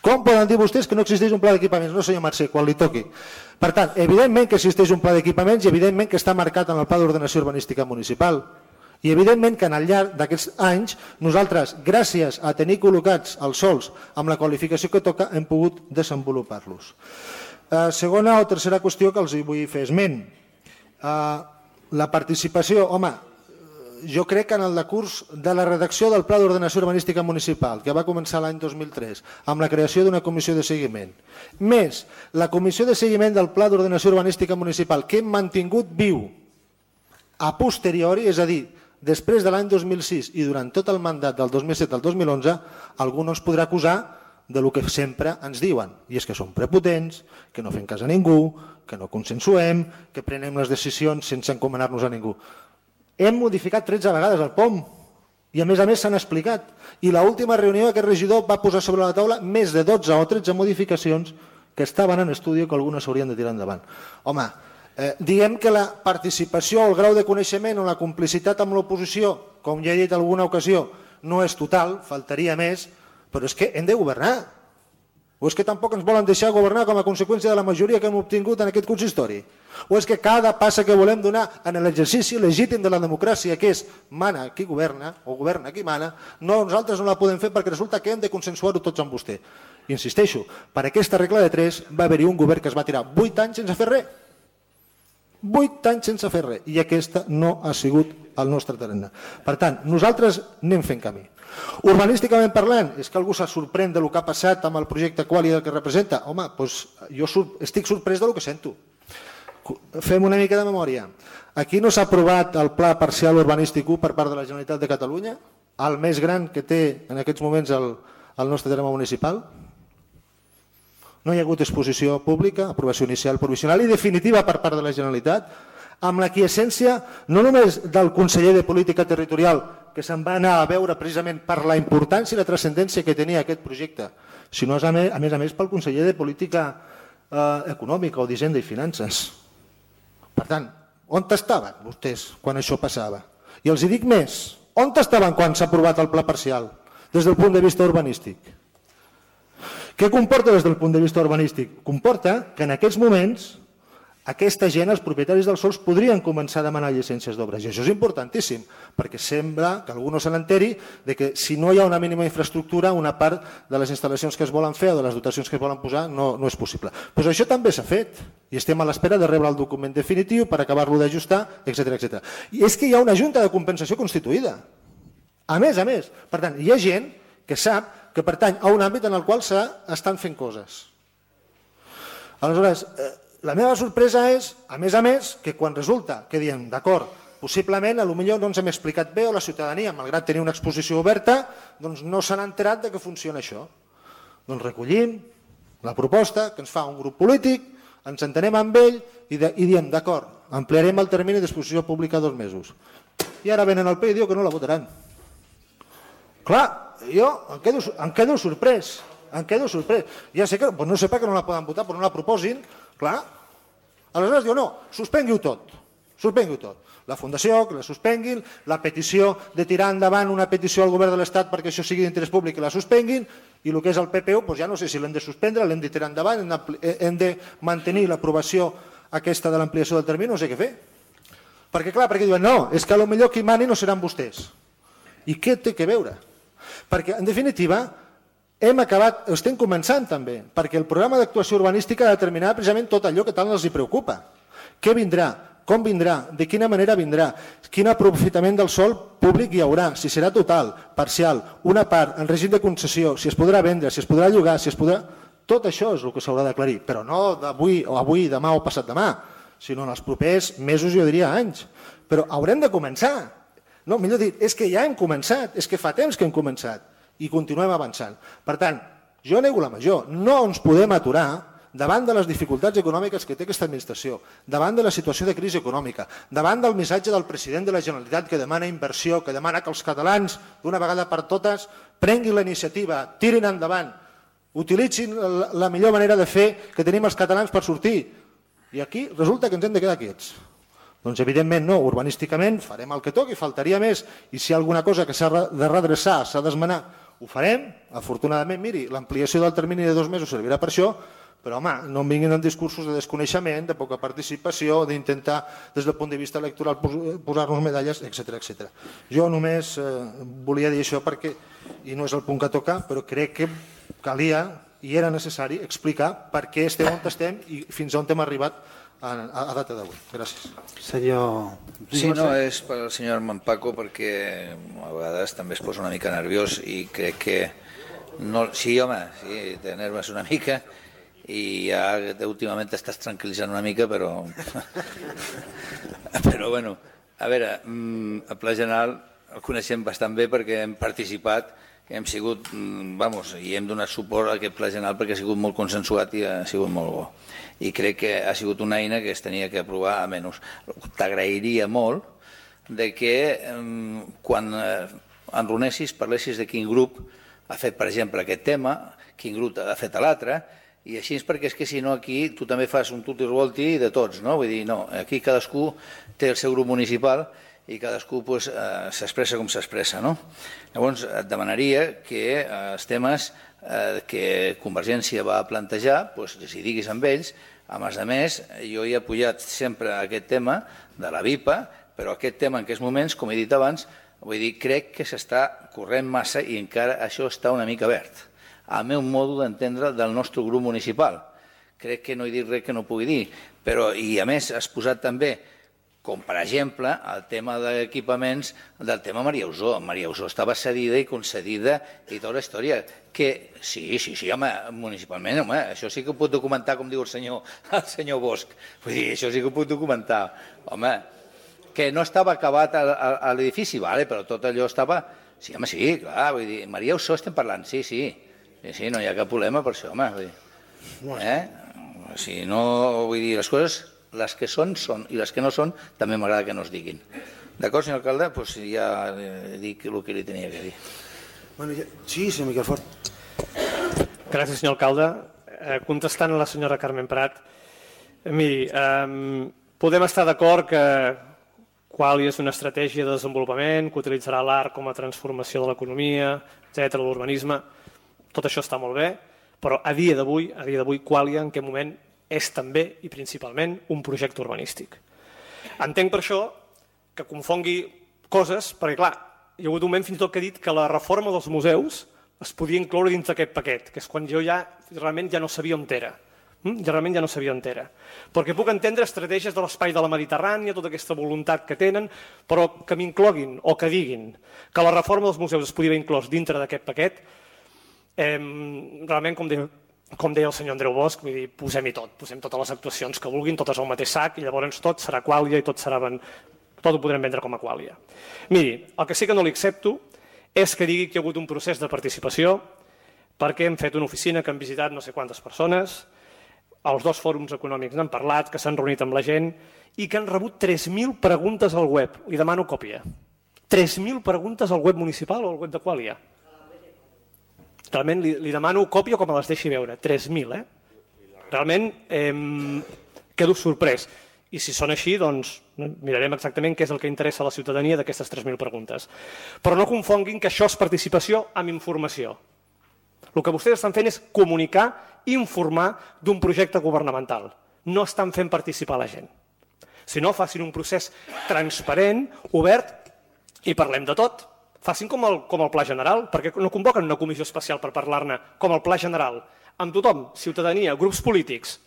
Com poden dir vostès que no existeix un pla d'equipaments? No, senyor Mercè, quan li toqui. Per tant, evidentment que existeix un pla d'equipaments i evidentment que està marcat en el Pla d'Ordenació Urbanística Municipal. I evidentment que al llarg d'aquests anys nosaltres, gràcies a tenir col·locats els sols amb la qualificació que toca, hem pogut desenvolupar-los. Eh, segona o tercera qüestió que els hi vull fer esment. Eh, la participació, home, jo crec que en el decurs de la redacció del Pla d'Ordenació Urbanística Municipal, que va començar l'any dos mil tres, amb la creació d'una comissió de seguiment, més la comissió de seguiment del Pla d'Ordenació Urbanística Municipal, que hem mantingut viu a posteriori, és a dir, després de l'any dos mil sis i durant tot el mandat del dos mil set al dos mil onze, algú no ens podrà acusar de lo que sempre ens diuen, i és que som prepotents, que no fem cas a ningú, que no consensuem, que prenem les decisions sense encomanar-nos a ningú. Hem modificat tretze vegades el P O M i a més a més s'han explicat. I l'última reunió aquest regidor va posar sobre la taula més de dotze o tretze modificacions que estaven en estudi que algunes s'haurien de tirar endavant. Home, Eh, diguem que la participació, el grau de coneixement o la complicitat amb l'oposició, com ja he dit en alguna ocasió, no és total, faltaria més, però és que hem de governar. O és que tampoc ens volen deixar governar com a conseqüència de la majoria que hem obtingut en aquest consistori? O és que cada passa que volem donar en l'exercici legítim de la democràcia, que és mana qui governa o governa qui mana, no, nosaltres no la podem fer perquè resulta que hem de consensuar-ho tots amb vostè. Insisteixo, per aquesta regla de tres va haver-hi un govern que es va tirar vuit anys sense fer res. Vuit anys sense fer res, i aquesta no ha sigut el nostre tarannà. Per tant, nosaltres anem fent camí. Urbanísticament parlant, és que algú se sorprèn del que ha passat amb el projecte Qualia del que representa. Home, doncs jo estic sorprès del que sento. Fem una mica de memòria. Aquí no s'ha aprovat el Pla Parcial Urbanístic u per part de la Generalitat de Catalunya, el més gran que té en aquests moments el, el nostre terme municipal? No hi ha hagut exposició pública, aprovació inicial, provisional i definitiva per part de la Generalitat, amb la quiescència no només del conseller de Política Territorial, que se'n va anar a veure precisament per la importància i la transcendència que tenia aquest projecte, sinó a més a més, a més pel conseller de Política eh, Econòmica o d'Hisenda i Finances. Per tant, on estaven vostès quan això passava? I els hi dic més, on estaven quan s'ha aprovat el pla parcial des del punt de vista urbanístic? Què comporta des del punt de vista urbanístic? Comporta que en aquests moments aquesta gent, els propietaris dels sols, podrien començar a demanar llicències d'obres. I això és importantíssim, perquè sembla que algú no se n'enteri de que si no hi ha una mínima infraestructura, una part de les instal·lacions que es volen fer o de les dotacions que es volen posar no, no és possible. Doncs això també s'ha fet i estem a l'espera de rebre el document definitiu per acabar-lo d'ajustar, etcètera, etcètera. I és que hi ha una junta de compensació constituïda. A més a més, per tant, hi ha gent que sap que pertany a un àmbit en el qual s'estan fent coses. Aleshores, la meva sorpresa és, a més a més, que quan resulta que diem, d'acord, possiblement potser no ens hem explicat bé o la ciutadania, malgrat tenir una exposició oberta, doncs no s'han enterat de que funciona això. Doncs recollim la proposta que ens fa un grup polític, ens entenem amb ell i, de, i diem, d'acord, ampliarem el termini d'exposició pública a dos mesos. I ara venen al P I i diu que no la votaran. Clar, jo em quedo, em quedo sorprès, em quedo sorprès. Ja sé que, doncs no sé per què no la poden votar, però no la proposin, clar. Aleshores diu, no, suspengui-ho tot, suspengui-ho tot. La Fundació, que la suspenguin, la petició de tirar endavant una petició al govern de l'Estat perquè això sigui d'interès públic, que la suspenguin, i el que és el P P U, doncs ja no sé si l'hem de suspendre, l'hem de tirar endavant, hem de mantenir l'aprovació aquesta de l'ampliació del termini, no sé què fer. Perquè clar, perquè diuen, no, és que potser qui mani no seran vostès. I què té que veure? Perquè, en definitiva, hem acabat, estem començant també, perquè el programa d'actuació urbanística determinarà precisament tot allò que tant els preocupa. Què vindrà? Com vindrà? De quina manera vindrà? Quin aprofitament del sòl públic hi haurà? Si serà total, parcial, una part, en règim de concessió, si es podrà vendre, si es podrà llogar, si es podrà... Tot això és el que s'haurà d'aclarir, però no d'avui o avui, demà o passat demà, sinó en els propers mesos, jo diria anys. Però haurem de començar. No, millor dit, és que ja hem començat, és que fa temps que hem començat i continuem avançant. Per tant, jo nego la major, no ens podem aturar davant de les dificultats econòmiques que té aquesta administració, davant de la situació de crisi econòmica, davant del missatge del president de la Generalitat que demana inversió, que demana que els catalans, d'una vegada per totes, prenguin la iniciativa, tirin endavant, utilitzin la millor manera de fer que tenim els catalans per sortir. I aquí resulta que ens hem de quedar quiets. Doncs evidentment no, urbanísticament farem el que toqui, faltaria més, i si hi ha alguna cosa que s'ha de redreçar, s'ha d'esmenar, ho farem. Afortunadament, miri, l'ampliació del termini de dos mesos servirà per això, però home, no em vinguin amb discursos de desconeixement, de poca participació, d'intentar des del punt de vista electoral posar-nos medalles, etcètera, etcètera. Jo només eh, volia dir això perquè, i no és el punt que toca, però crec que calia i era necessari explicar per què estem on estem i fins on hem arribat a, a data d'avui. Gràcies. Senyor... Sí, no, és per al senyor Manpaco perquè a vegades també es posa una mica nerviós i crec que... No, sí, home, sí, te nerves una mica i ja últimament t'estàs tranquil·litzant una mica, però... però, bueno, a veure, el Pla General el coneixem bastant bé perquè hem participat, hem sigut, vamos, i hem donat suport a aquest Pla General perquè ha sigut molt consensuat i ha sigut molt bo. I crec que ha sigut una eina que es tenia que aprovar a menys. T'agrairia molt de que quan enronessis parlessis de quin grup ha fet, per exemple, aquest tema, quin grup ha fet l'altre, i així és perquè és que si no aquí tu també fas un tutti revolti de tots, no? Vull dir, no, aquí cadascú té el seu grup municipal i cadascú pues, eh, s'expressa com s'expressa, no? Llavors et demanaria que eh, els temes eh, que Convergència va plantejar, pues, si diguis amb ells, a més a més, jo he apoyat sempre aquest tema de la V I P A, però aquest tema en aquests moments, com he dit abans, vull dir, crec que s'està corrent massa i encara això està una mica verd. Al meu modo d'entendre del nostre grup municipal. Crec que no he dit res que no pugui dir, però i a més has posat també, com per exemple, el tema d'equipaments del tema Maria Usó. Maria Usó estava cedida i concedida i tota la història. Que sí, sí, sí, home, municipalment, home, això sí que ho puc documentar, com diu el senyor, el senyor Bosch. Vull dir, això sí que ho puc documentar. Home, que no estava acabat a, a, a l'edifici, vale, però tot allò estava... Sí, home, sí, clar, vull dir, Maria Usó estem parlant, sí, sí. Sí, sí, no hi ha cap problema per això, home. Vull dir. Eh? Si no, vull dir, les coses, les que són, són, i les que no són, també m'agrada que no es diguin. D'acord, senyor alcalde? Doncs ja dic el que li tenia que dir. Bueno, ja... Sí, senyor Miquel Fort. Gràcies, senyor alcalde. Eh, contestant a la senyora Carmen Prat, eh, miri, eh, podem estar d'acord que Qualy és una estratègia de desenvolupament, que utilitzarà l'art com a transformació de l'economia, etcètera, l'urbanisme. Tot això està molt bé, però a dia d'avui, a dia d'avui, Qualy en aquest moment és també i principalment un projecte urbanístic. Entenc per això que confongui coses, perquè clar, hi ha hagut un moment fins i tot que ha dit que la reforma dels museus es podia incloure dins d'aquest paquet, que és quan jo ja realment ja no sabia on era. Ja realment ja no sabia on era. Perquè puc entendre estratègies de l'espai de la Mediterrània, tota aquesta voluntat que tenen, però que m'incloguin o que diguin que la reforma dels museus es podia haver inclòs dintre d'aquest paquet, eh, realment, com deia, com deia el senyor Andreu Bosch, vull dir, posem-hi tot, posem totes les actuacions que vulguin, totes al mateix sac, i llavors tot serà Quàlia i tot serà ben... tot ho podrem vendre com a Quàlia. Miri, el que sí que no li accepto és que digui que hi ha hagut un procés de participació perquè hem fet una oficina que han visitat no sé quantes persones, els dos fòrums econòmics n'han parlat, que s'han reunit amb la gent i que han rebut tres mil preguntes al web. Li demano còpia. tres mil preguntes al web municipal o al web de Quàlia. Realment li, li demano còpia com me les deixi veure. tres mil, eh? Realment eh, quedo sorprès. I si són així, doncs mirarem exactament què és el que interessa a la ciutadania d'aquestes tres mil preguntes. Però no confonguin que això és participació amb informació. El que vostès estan fent és comunicar, informar d'un projecte governamental. No estan fent participar la gent. Si no, facin un procés transparent, obert, i parlem de tot. Facin com el, com el Pla General, perquè no convoquen una comissió especial per parlar-ne, com el Pla General, amb tothom, ciutadania, grups polítics,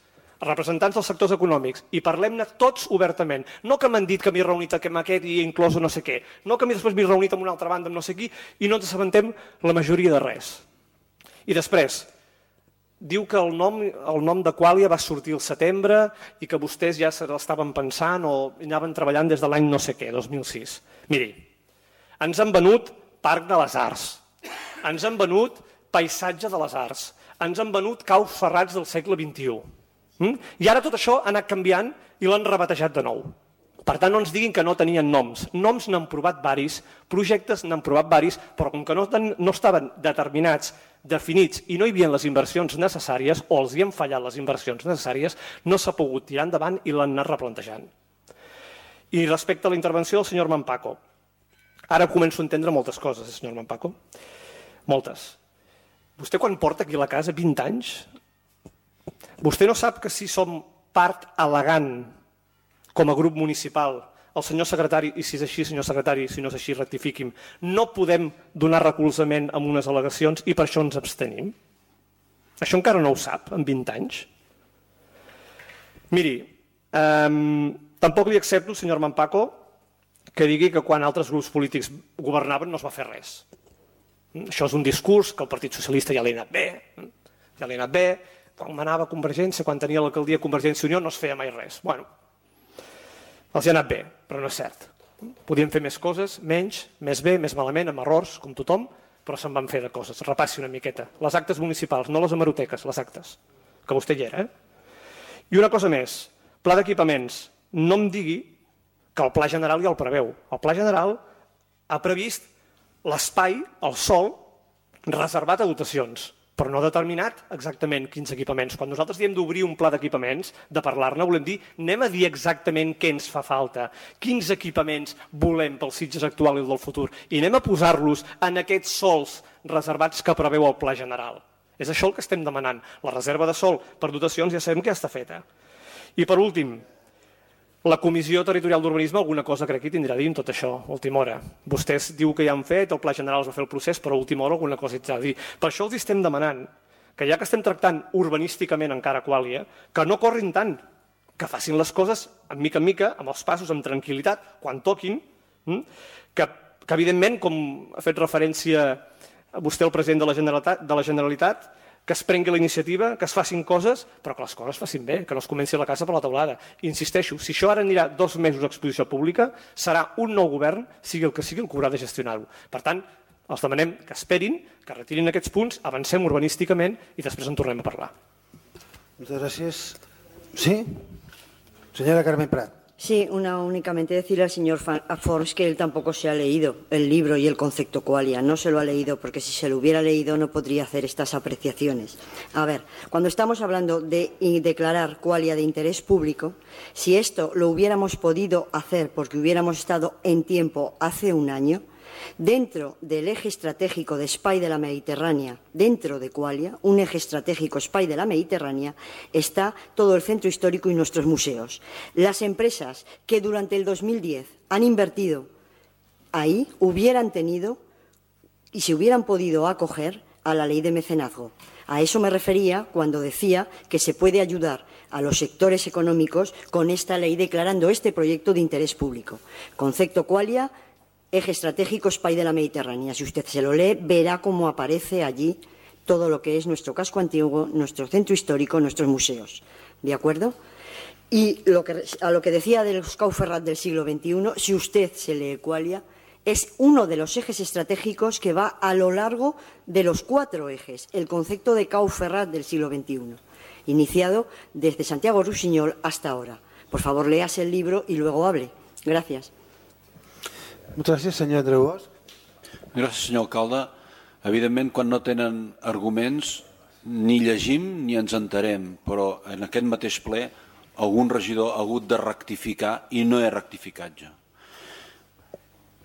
representants dels sectors econòmics, i parlem-ne tots obertament. No que m'han dit que m'he reunit amb aquest i he inclòs no sé què, no que després m'he reunit amb una altra banda amb no sé qui i no ens assabentem la majoria de res. I després, diu que el nom, el nom de Qualia va sortir al setembre i que vostès ja se l'estaven pensant o anaven treballant des de l'any no sé què, dos mil sis. Miri, ens han venut Parc de les Arts, ens han venut Paisatge de les Arts, ens han venut Caus Ferrats del segle vint-i-u. Mm? I ara tot això ha anat canviant i l'han rebatejat de nou. Per tant, no ens diguin que no tenien noms. Noms n'han provat varis, projectes n'han provat varis, però com que no, no estaven determinats, definits i no hi havia les inversions necessàries o els hi han fallat les inversions necessàries, no s'ha pogut tirar endavant i l'han anat replantejant. I respecte a la intervenció del senyor Mampaco, ara començo a entendre moltes coses, senyor Mampaco. Moltes. Vostè quan porta aquí a la casa vint anys, vostè no sap que si som part elegant com a grup municipal, el senyor secretari, i si és així, senyor secretari, si no és així, rectifiqui'm, no podem donar recolzament a unes al·legacions i per això ens abstenim? Això encara no ho sap, en vint anys? Miri, eh, tampoc li accepto, senyor Mampaco, que digui que quan altres grups polítics governaven no es va fer res. Això és un discurs que el Partit Socialista ja li ha anat bé, ja li ha anat bé, quan manava Convergència, quan tenia l'alcaldia Convergència i Unió no es feia mai res. Bueno, els hi ha anat bé, però no és cert. Podíem fer més coses, menys, més bé, més malament, amb errors, com tothom, però se'n van fer de coses. Repassi una miqueta. Les actes municipals, no les hemeroteques, les actes, que vostè hi era. Eh? I una cosa més, pla d'equipaments. No em digui que el Pla General ja el preveu. El Pla General ha previst l'espai, el sòl, reservat a dotacions, però no ha determinat exactament quins equipaments. Quan nosaltres diem d'obrir un pla d'equipaments, de parlar-ne, volem dir, anem a dir exactament què ens fa falta, quins equipaments volem pel Sitges actual i el del futur, i anem a posar-los en aquests sòls reservats que preveu el Pla General. És això el que estem demanant. La reserva de sòl per dotacions ja sabem que està feta. I per últim, la Comissió Territorial d'Urbanisme alguna cosa crec que tindrà a dir en tot això, a última hora. Vostès diu que ja han fet, el Pla General es va fer el procés, però a última hora alguna cosa hi tindrà a dir. Per això els estem demanant que ja que estem tractant urbanísticament encara Qualia, que no corrin tant, que facin les coses en mica en mica, amb els passos, amb tranquil·litat, quan toquin, que, que evidentment, com ha fet referència vostè, el president de la Generalitat, de la Generalitat, que es prengui la iniciativa, que es facin coses, però que les coses es facin bé, que no es comenci la casa per la teulada. I insisteixo, si això ara anirà dos mesos a exposició pública, serà un nou govern, sigui el que sigui, el que haurà de gestionar-ho. Per tant, els demanem que esperin, que retirin aquests punts, avancem urbanísticament i després en tornem a parlar. Moltes gràcies. Sí? Senyora Carmen Prat. Sí, una, únicamente decirle al señor Forns que él tampoco se ha leído el libro y el concepto Qualia. No se lo ha leído porque si se lo hubiera leído no podría hacer estas apreciaciones. A ver, cuando estamos hablando de declarar Qualia de interés público, si esto lo hubiéramos podido hacer porque hubiéramos estado en tiempo hace un año, dentro del eje estratégico de Espai de la Mediterránea, dentro de Qualia, un eje estratégico Espai de la Mediterránea, está todo el centro histórico y nuestros museos. Las empresas que durante el dos mil diez han invertido ahí hubieran tenido y se hubieran podido acoger a la ley de mecenazgo. A eso me refería cuando decía que se puede ayudar a los sectores económicos con esta ley declarando este proyecto de interés público. Concepto Qualia, eje estratégico Espai de la Mediterránea. Si usted se lo lee, verá cómo aparece allí todo lo que es nuestro casco antiguo, nuestro centro histórico, nuestros museos. ¿De acuerdo? Y lo que, a lo que decía de los Caus Ferrats del siglo veintiuno, si usted se lee Qualia, es uno de los ejes estratégicos que va a lo largo de los cuatro ejes, el concepto de Caus Ferrats del siglo veintiuno, iniciado desde Santiago Rusiñol hasta ahora. Por favor, léase el libro y luego hable. Gracias. Moltes gràcies, senyor Andreu Bosch. Gràcies, senyor alcalde. Evidentment, quan no tenen arguments, ni llegim ni ens enterem, però en aquest mateix ple algun regidor ha hagut de rectificar i no he rectificat jo.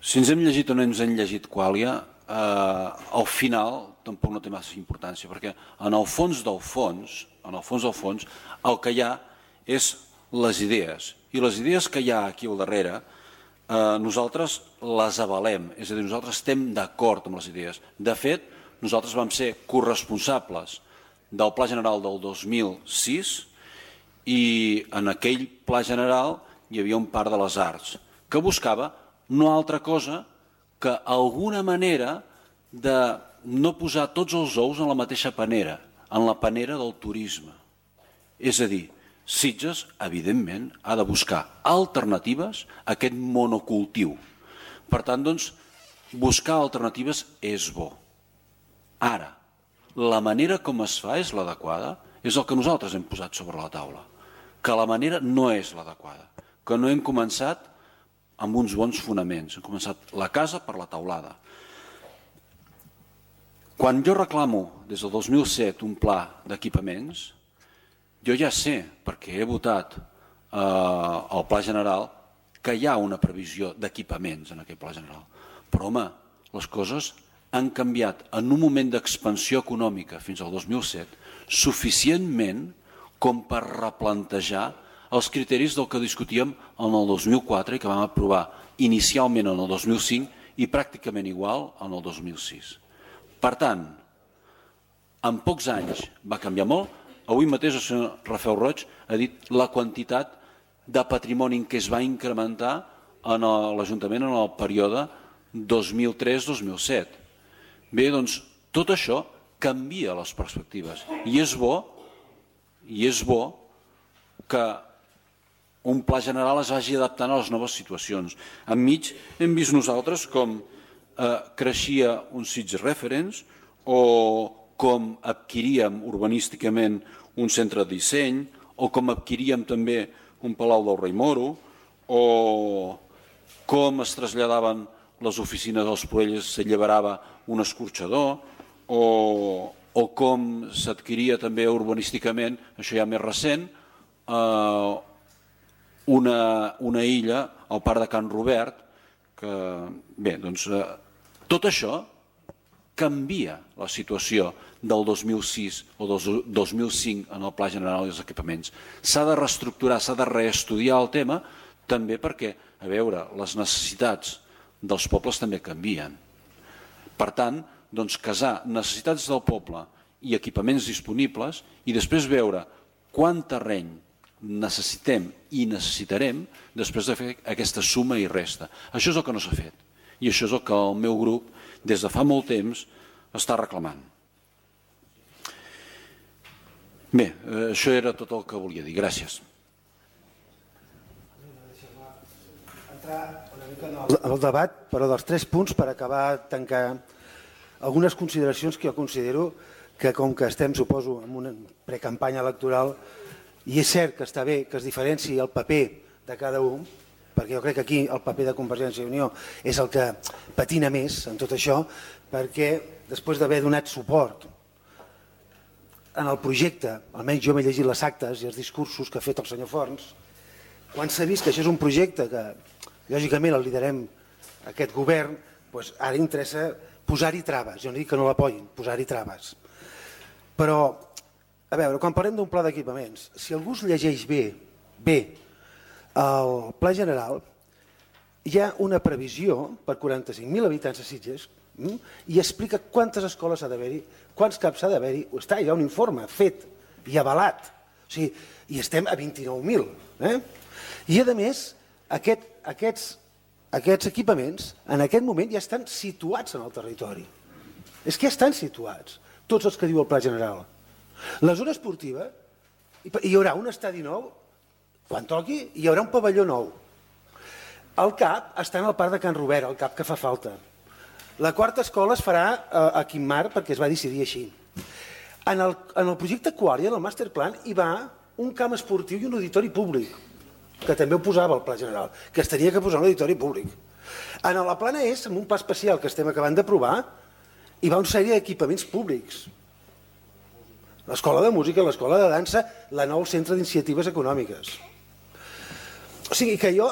Si ens hem llegit o no ens hem llegit Qualia, eh, al final tampoc no té massa importància, perquè en el fons del fons, en el fons del fons, el que hi ha és les idees. I les idees que hi ha aquí al darrere, eh, nosaltres les avalem, és a dir, nosaltres estem d'acord amb les idees. De fet, nosaltres vam ser corresponsables del Pla General del dos mil sis i en aquell Pla General hi havia un parc de les arts que buscava no altra cosa que alguna manera de no posar tots els ous en la mateixa panera, en la panera del turisme. És a dir, Sitges, evidentment, ha de buscar alternatives a aquest monocultiu. Per tant, doncs, buscar alternatives és bo. Ara, la manera com es fa és l'adequada, és el que nosaltres hem posat sobre la taula, que la manera no és l'adequada, que no hem començat amb uns bons fonaments, hem començat la casa per la teulada. Quan jo reclamo des del dos mil set un pla d'equipaments, jo ja sé, perquè he votat eh, al Pla General, que hi ha una previsió d'equipaments en aquest Pla General. Però, home, les coses han canviat en un moment d'expansió econòmica fins al dos mil set suficientment com per replantejar els criteris del que discutíem en el dos mil quatre i que vam aprovar inicialment en el dos mil cinc i pràcticament igual en el dos mil sis. Per tant, en pocs anys va canviar molt. Avui mateix el senyor Rafael Roig ha dit la quantitat de patrimoni que es va incrementar en l'Ajuntament en el període dos mil tres dos mil set. Bé, doncs, tot això canvia les perspectives i és bo, i és bo que un pla general es vagi adaptant a les noves situacions. Enmig hem vist nosaltres com eh, creixia un Sitges Reference o com adquiríem urbanísticament un centre de disseny o com adquiríem també un Palau del Rei Moro o com es traslladaven les oficines dels Proelles, s'alliberava un escorxador o, o com s'adquiria també urbanísticament, això ja més recent, eh, una, una illa al parc de Can Robert, que bé, doncs eh, tot això canvia la situació del dos mil sis o del dos mil cinc en el Pla General dels Equipaments. S'ha de reestructurar, s'ha de reestudiar el tema, també perquè, a veure, les necessitats dels pobles també canvien. Per tant, doncs, casar necessitats del poble i equipaments disponibles i després veure quant terreny necessitem i necessitarem després de fer aquesta suma i resta. Això és el que no s'ha fet i això és el que el meu grup des de fa molt temps està reclamant. Bé, això era tot el que volia dir. Gràcies. Entrar una mica en el debat, però dels tres punts per acabar tancar algunes consideracions que jo considero que com que estem, suposo, en una precampanya electoral i és cert que està bé que es diferenciï el paper de cada un, perquè jo crec que aquí el paper de Convergència i Unió és el que patina més en tot això, perquè després d'haver donat suport en el projecte, almenys jo m'he llegit les actes i els discursos que ha fet el senyor Forns, quan s'ha vist que això és un projecte que lògicament el liderem aquest govern, doncs ara interessa posar-hi traves, jo no dic que no l'apoyin, posar-hi traves. Però, a veure, quan parlem d'un pla d'equipaments, si algú es llegeix bé, bé, el Pla General, hi ha una previsió per quaranta-cinc mil habitants a Sitges i explica quantes escoles ha d'haver-hi, quants caps ha d'haver-hi, està, hi ha un informe fet i avalat, o sigui, i estem a vint-i-nou mil. Eh? I a més, aquest, aquests, aquests equipaments en aquest moment ja estan situats en el territori. És que ja estan situats, tots els que diu el Pla General. La zona esportiva, hi haurà un estadi nou, quan toqui hi haurà un pavelló nou. El C A P està en el parc de Can Robert, el C A P que fa falta. La quarta escola es farà a Quimar perquè es va decidir així. En el, en el projecte Qualia, en el masterplan, hi va un camp esportiu i un auditori públic, que també ho posava el Pla General, que es tenia que posar un auditori públic. En la plana és, en un pla especial que estem acabant d'aprovar, hi va una sèrie d'equipaments públics. L'escola de música, l'escola de dansa, la nou centre d'iniciatives econòmiques. O sigui que jo,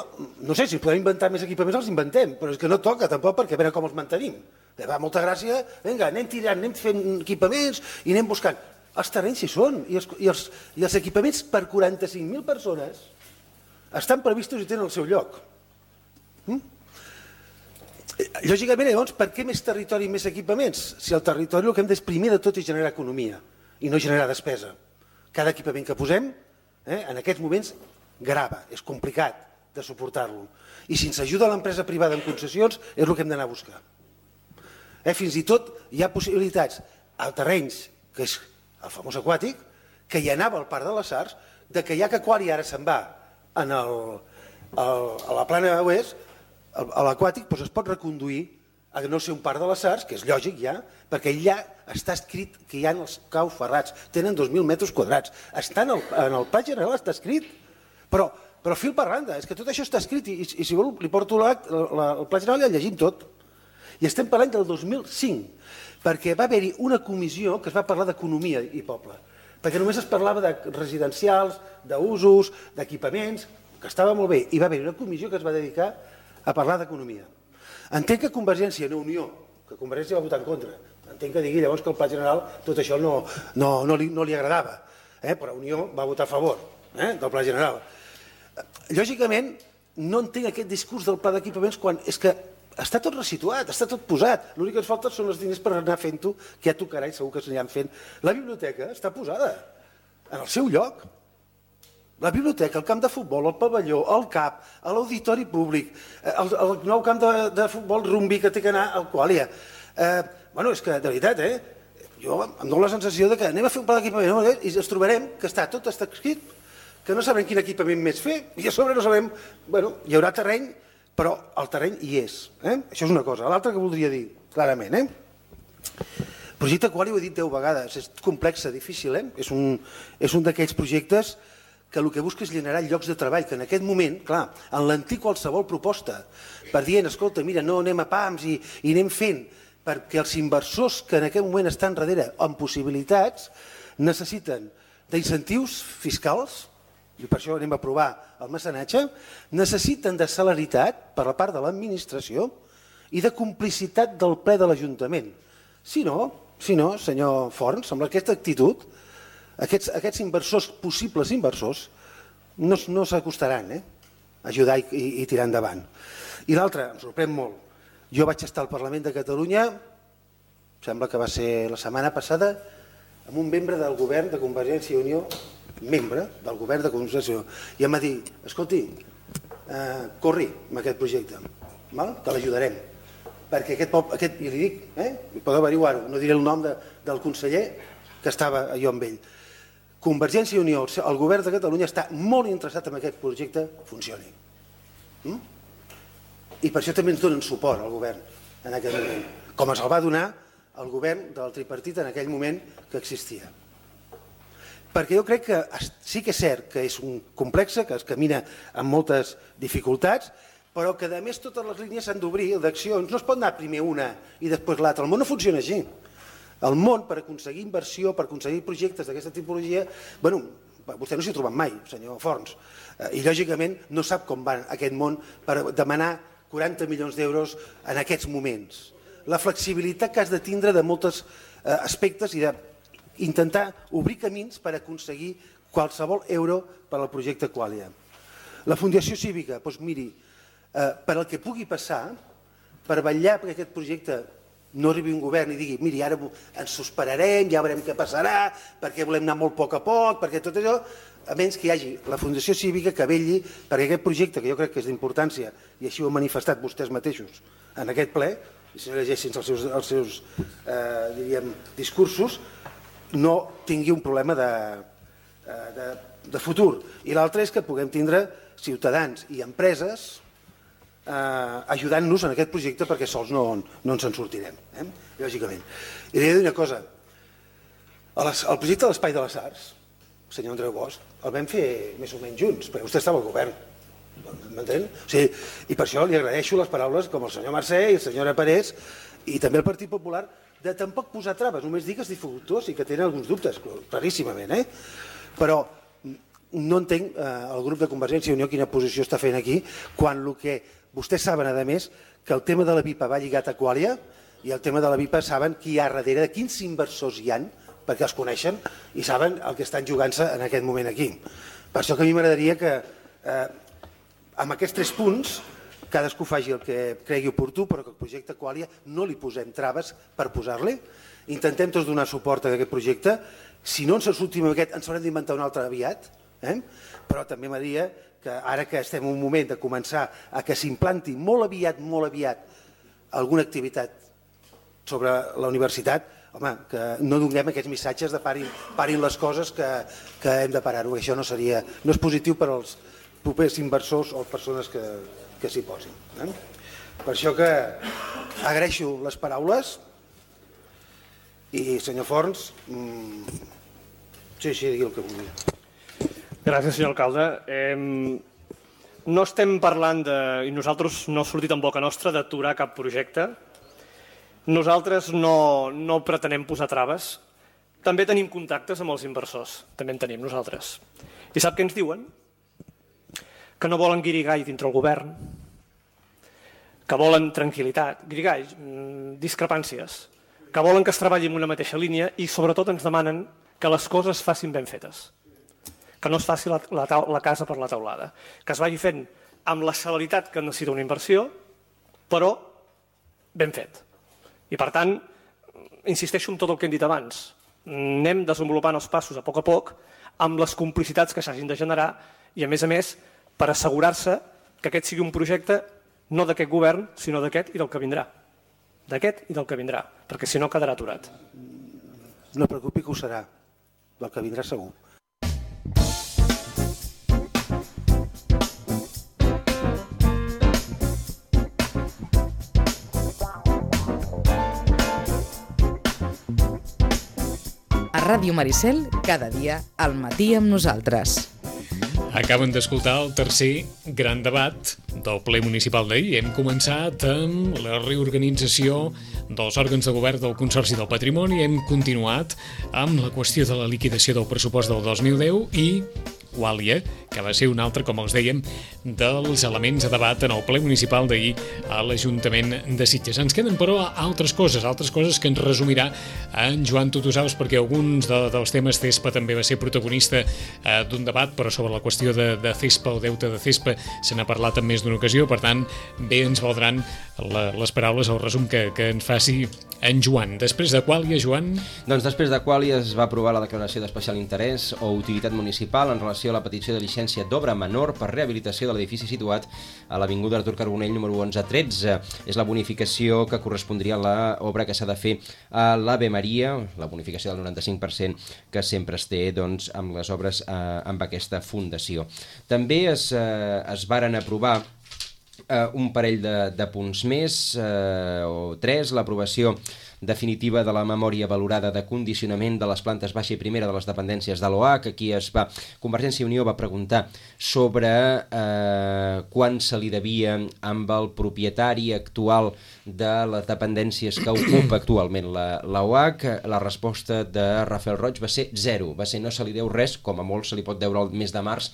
no sé, si podem inventar més equipaments els inventem, però és que no toca tampoc, perquè a veure com els mantenim. Va molta gràcia, vinga, anem tirant, anem fent equipaments i anem buscant. Els terrenys hi són, i els, i els, i els equipaments per quaranta-cinc mil persones estan previstos i tenen el seu lloc. Mm? Lògicament, llavors, per què més territori i més equipaments? Si el territori el que hem d'exprimir de tot és generar economia i no generar despesa. Cada equipament que posem, eh, en aquests moments, grava, és complicat de suportar-lo. I si ens ajuda l'empresa privada en concessions, és el que hem d'anar a buscar. Eh, fins i tot hi ha possibilitats a terrenys, que és el famós aquàtic, que hi anava al Parc de les Arts, de que ja que Aquari ara se'n va en el, el, a la plana oest, a l'aquàtic doncs es pot reconduir a no ser un Parc de les Arts, que és lògic ja, perquè allà està escrit que hi ha els caus ferrats, tenen dos mil metres quadrats, està en el, en el Pla General, està escrit, però, però fil per randa, és que tot això està escrit i, i si vol li porto l'acte, el Pla General i el llegim tot. I estem parlant del dos mil cinc, perquè va haver-hi una comissió que es va parlar d'economia i poble, perquè només es parlava de residencials, d'usos, d'equipaments, que estava molt bé, i va haver-hi una comissió que es va dedicar a parlar d'economia. Entenc que Convergència, no Unió, que Convergència va votar en contra, entenc que digui llavors que el Pla General tot això no, no, no, li, no li agradava, eh? Però Unió va votar a favor eh? del Pla General. Lògicament, no entenc aquest discurs del pla d'equipaments quan és que està tot resituat, està tot posat. L'únic que ens falta són els diners per anar fent-ho, que ja tocarà i segur que s'aniran fent. La biblioteca està posada en el seu lloc. La biblioteca, el camp de futbol, el pavelló, el C A P, l'auditori públic, el, el nou camp de, de futbol rumbi que té que anar al Quàlia. Eh, bueno, és que, de veritat, eh, jo em dono la sensació de que anem a fer un pla d'equipament i ens trobarem que està tot està escrit, que no sabrem quin equipament més fer, i a sobre no sabem, bueno, hi haurà terreny, però el terreny hi és. Eh? Això és una cosa. L'altra que voldria dir, clarament, eh? El projecte Quali ho he dit deu vegades, és complex, difícil, eh? És un, és un d'aquells projectes que el que busca és generar llocs de treball, que en aquest moment, clar, en l'antic qualsevol proposta, per dient, escolta, mira, no anem a pams i, i anem fent, perquè els inversors que en aquest moment estan darrere amb possibilitats necessiten d'incentius fiscals, i per això anem a aprovar el mecenatge, necessiten de celeritat per la part de l'administració i de complicitat del ple de l'Ajuntament. Si no, si no, senyor Forns, amb aquesta actitud, Aquests, aquests inversors, possibles inversors, no, no s'acostaran eh, a ajudar i, i, i tirar endavant. I l'altre, em sorprèn molt, jo vaig estar al Parlament de Catalunya, sembla que va ser la setmana passada, amb un membre del govern de Convergència i Unió, membre del govern de Convergència i Unió, i em va dir, escolti, eh, corri amb aquest projecte, val? Que l'ajudarem. Perquè aquest poble, aquest, i li dic, eh, podeu averiguar-ho, no diré el nom de, del conseller que estava jo amb ell. Convergència i Unió, el govern de Catalunya està molt interessat en aquest projecte funcioni. Mm? I per això també ens donen suport al govern en aquell moment, com es el va donar el govern del tripartit en aquell moment que existia. Perquè jo crec que sí que és cert que és un complex, que es camina amb moltes dificultats, però que a més totes les línies s'han d'obrir d'accions, no es pot anar primer una i després l'altra, el món no funciona així. El món, per aconseguir inversió, per aconseguir projectes d'aquesta tipologia, bueno, vostè no s'hi ha trobat mai, senyor Forns, i lògicament no sap com va aquest món per demanar quaranta milions d'euros en aquests moments. La flexibilitat que has de tindre de molts aspectes i d'intentar obrir camins per aconseguir qualsevol euro per al projecte Quàlia. La Fundació Cívica, doncs miri, per al que pugui passar, per vetllar perquè aquest projecte no arribi un govern i digui, miri, ara ens sospirarem, ja veurem què passarà, perquè volem anar molt a poc a poc, perquè tot allò, a menys que hi hagi la Fundació Cívica que vetlli perquè aquest projecte, que jo crec que és d'importància, i així ho han manifestat vostès mateixos en aquest ple, i si no llegeixin els seus, els seus eh, diríem, discursos, no tingui un problema de, de, de futur. I l'altre és que puguem tindre ciutadans i empreses Eh, ajudant-nos en aquest projecte perquè sols no, no ens en sortirem, eh? Lògicament. I li he de dir una cosa, el, el projecte de l'Espai de les Arts, senyor Andreu Bosch, el vam fer més o menys junts, perquè vostè estava al govern, m'entén? O sigui, i per això li agraeixo les paraules com el senyor Mercè i el senyor Parés i també el Partit Popular de tampoc posar traves, només dir que és dificultós i que tenen alguns dubtes, claríssimament, eh? Però no entenc eh, el grup de Convergència i Unió quina posició està fent aquí, quan el que vostès saben, a més, que el tema de la V I P A va lligat a Qualia i el tema de la V I P A saben qui hi ha darrere, quins inversors hi han, perquè els coneixen i saben el que estan jugant-se en aquest moment aquí. Per això que a mi m'agradaria que eh, amb aquests tres punts cadascú faci el que cregui oportú, però que el projecte Qualia no li posem traves per posar-li. Intentem tots donar suport a aquest projecte. Si no ens sortim amb aquest, ens haurem d'inventar un altre aviat, eh? Però també m'agradaria que ara que estem en un moment de començar a que s'implanti molt aviat, molt aviat, alguna activitat sobre la universitat, home, que no donem aquests missatges de parin, parin les coses que, que hem de parar-ho. Això no seria, no és positiu per als propers inversors o persones que, que s'hi posin. Eh? Per això que agraeixo les paraules i, senyor Forns, mmm, sí, sí, digui el que vulgui. Gràcies, senyor alcalde. Eh, no estem parlant de, i nosaltres no ha sortit en boca nostra, d'aturar cap projecte. Nosaltres no, no pretenem posar traves. També tenim contactes amb els inversors, també en tenim nosaltres. I sap què ens diuen? Que no volen guirigall dintre el govern, que volen tranquil·litat, guirigall, discrepàncies, que volen que es treballi en una mateixa línia i sobretot ens demanen que les coses es facin ben fetes, que no es faci la, la, la casa per la teulada, que es vagi fent amb la celeritat que necessita una inversió, però ben fet. I per tant, insisteixo en tot el que hem dit abans, anem desenvolupant els passos a poc a poc amb les complicitats que s'hagin de generar i a més a més per assegurar-se que aquest sigui un projecte no d'aquest govern, sinó d'aquest i del que vindrà. D'aquest i del que vindrà, perquè si no quedarà aturat. No preocupi que ho serà, del que vindrà segur. A Ràdio Maricel, cada dia al matí amb nosaltres. Acaben d'escoltar el tercer gran debat del ple municipal d'ahir. Hem començat amb la reorganització dels òrgans de govern del Consorci del Patrimoni, hem continuat amb la qüestió de la liquidació del pressupost del dos mil deu i Qualia, que va ser un altre, com els dèiem, dels elements a debat en el ple municipal d'ahir a l'Ajuntament de Sitges. Ens queden, però, altres coses, altres coses que ens resumirà en Joan Tutusaus, perquè alguns de, dels temes CESPA també va ser protagonista eh, d'un debat, però sobre la qüestió de, de CESPA, el deute de CESPA, se n'ha parlat en més d'una ocasió, per tant, bé ens valdran la, les paraules, el resum que, que ens faci en Joan. Després de Qualia, Joan? Doncs després de Qualia es va aprovar la declaració d'especial interès o utilitat municipal en relació a la petició de llicència d'obra menor per rehabilitació de l'edifici situat a l'Avinguda Artur Carbonell número onze tretze. És la bonificació que correspondria a l'obra que s'ha de fer a l'Ave Maria, la bonificació del noranta-cinc per cent que sempre es té doncs, amb les obres eh, amb aquesta fundació. També es, eh, es varen aprovar Uh, un parell de, de punts més, uh, o tres, l'aprovació definitiva de la memòria valorada de condicionament de les plantes baixa i primera de les dependències de l'O H. Aquí es va, Convergència i Unió va preguntar sobre uh, quan se li devia amb el propietari actual de les dependències que ocupa actualment la, la O H. La resposta de Rafael Roig va ser zero, va ser no se li deu res, com a molt se li pot deure el mes de març,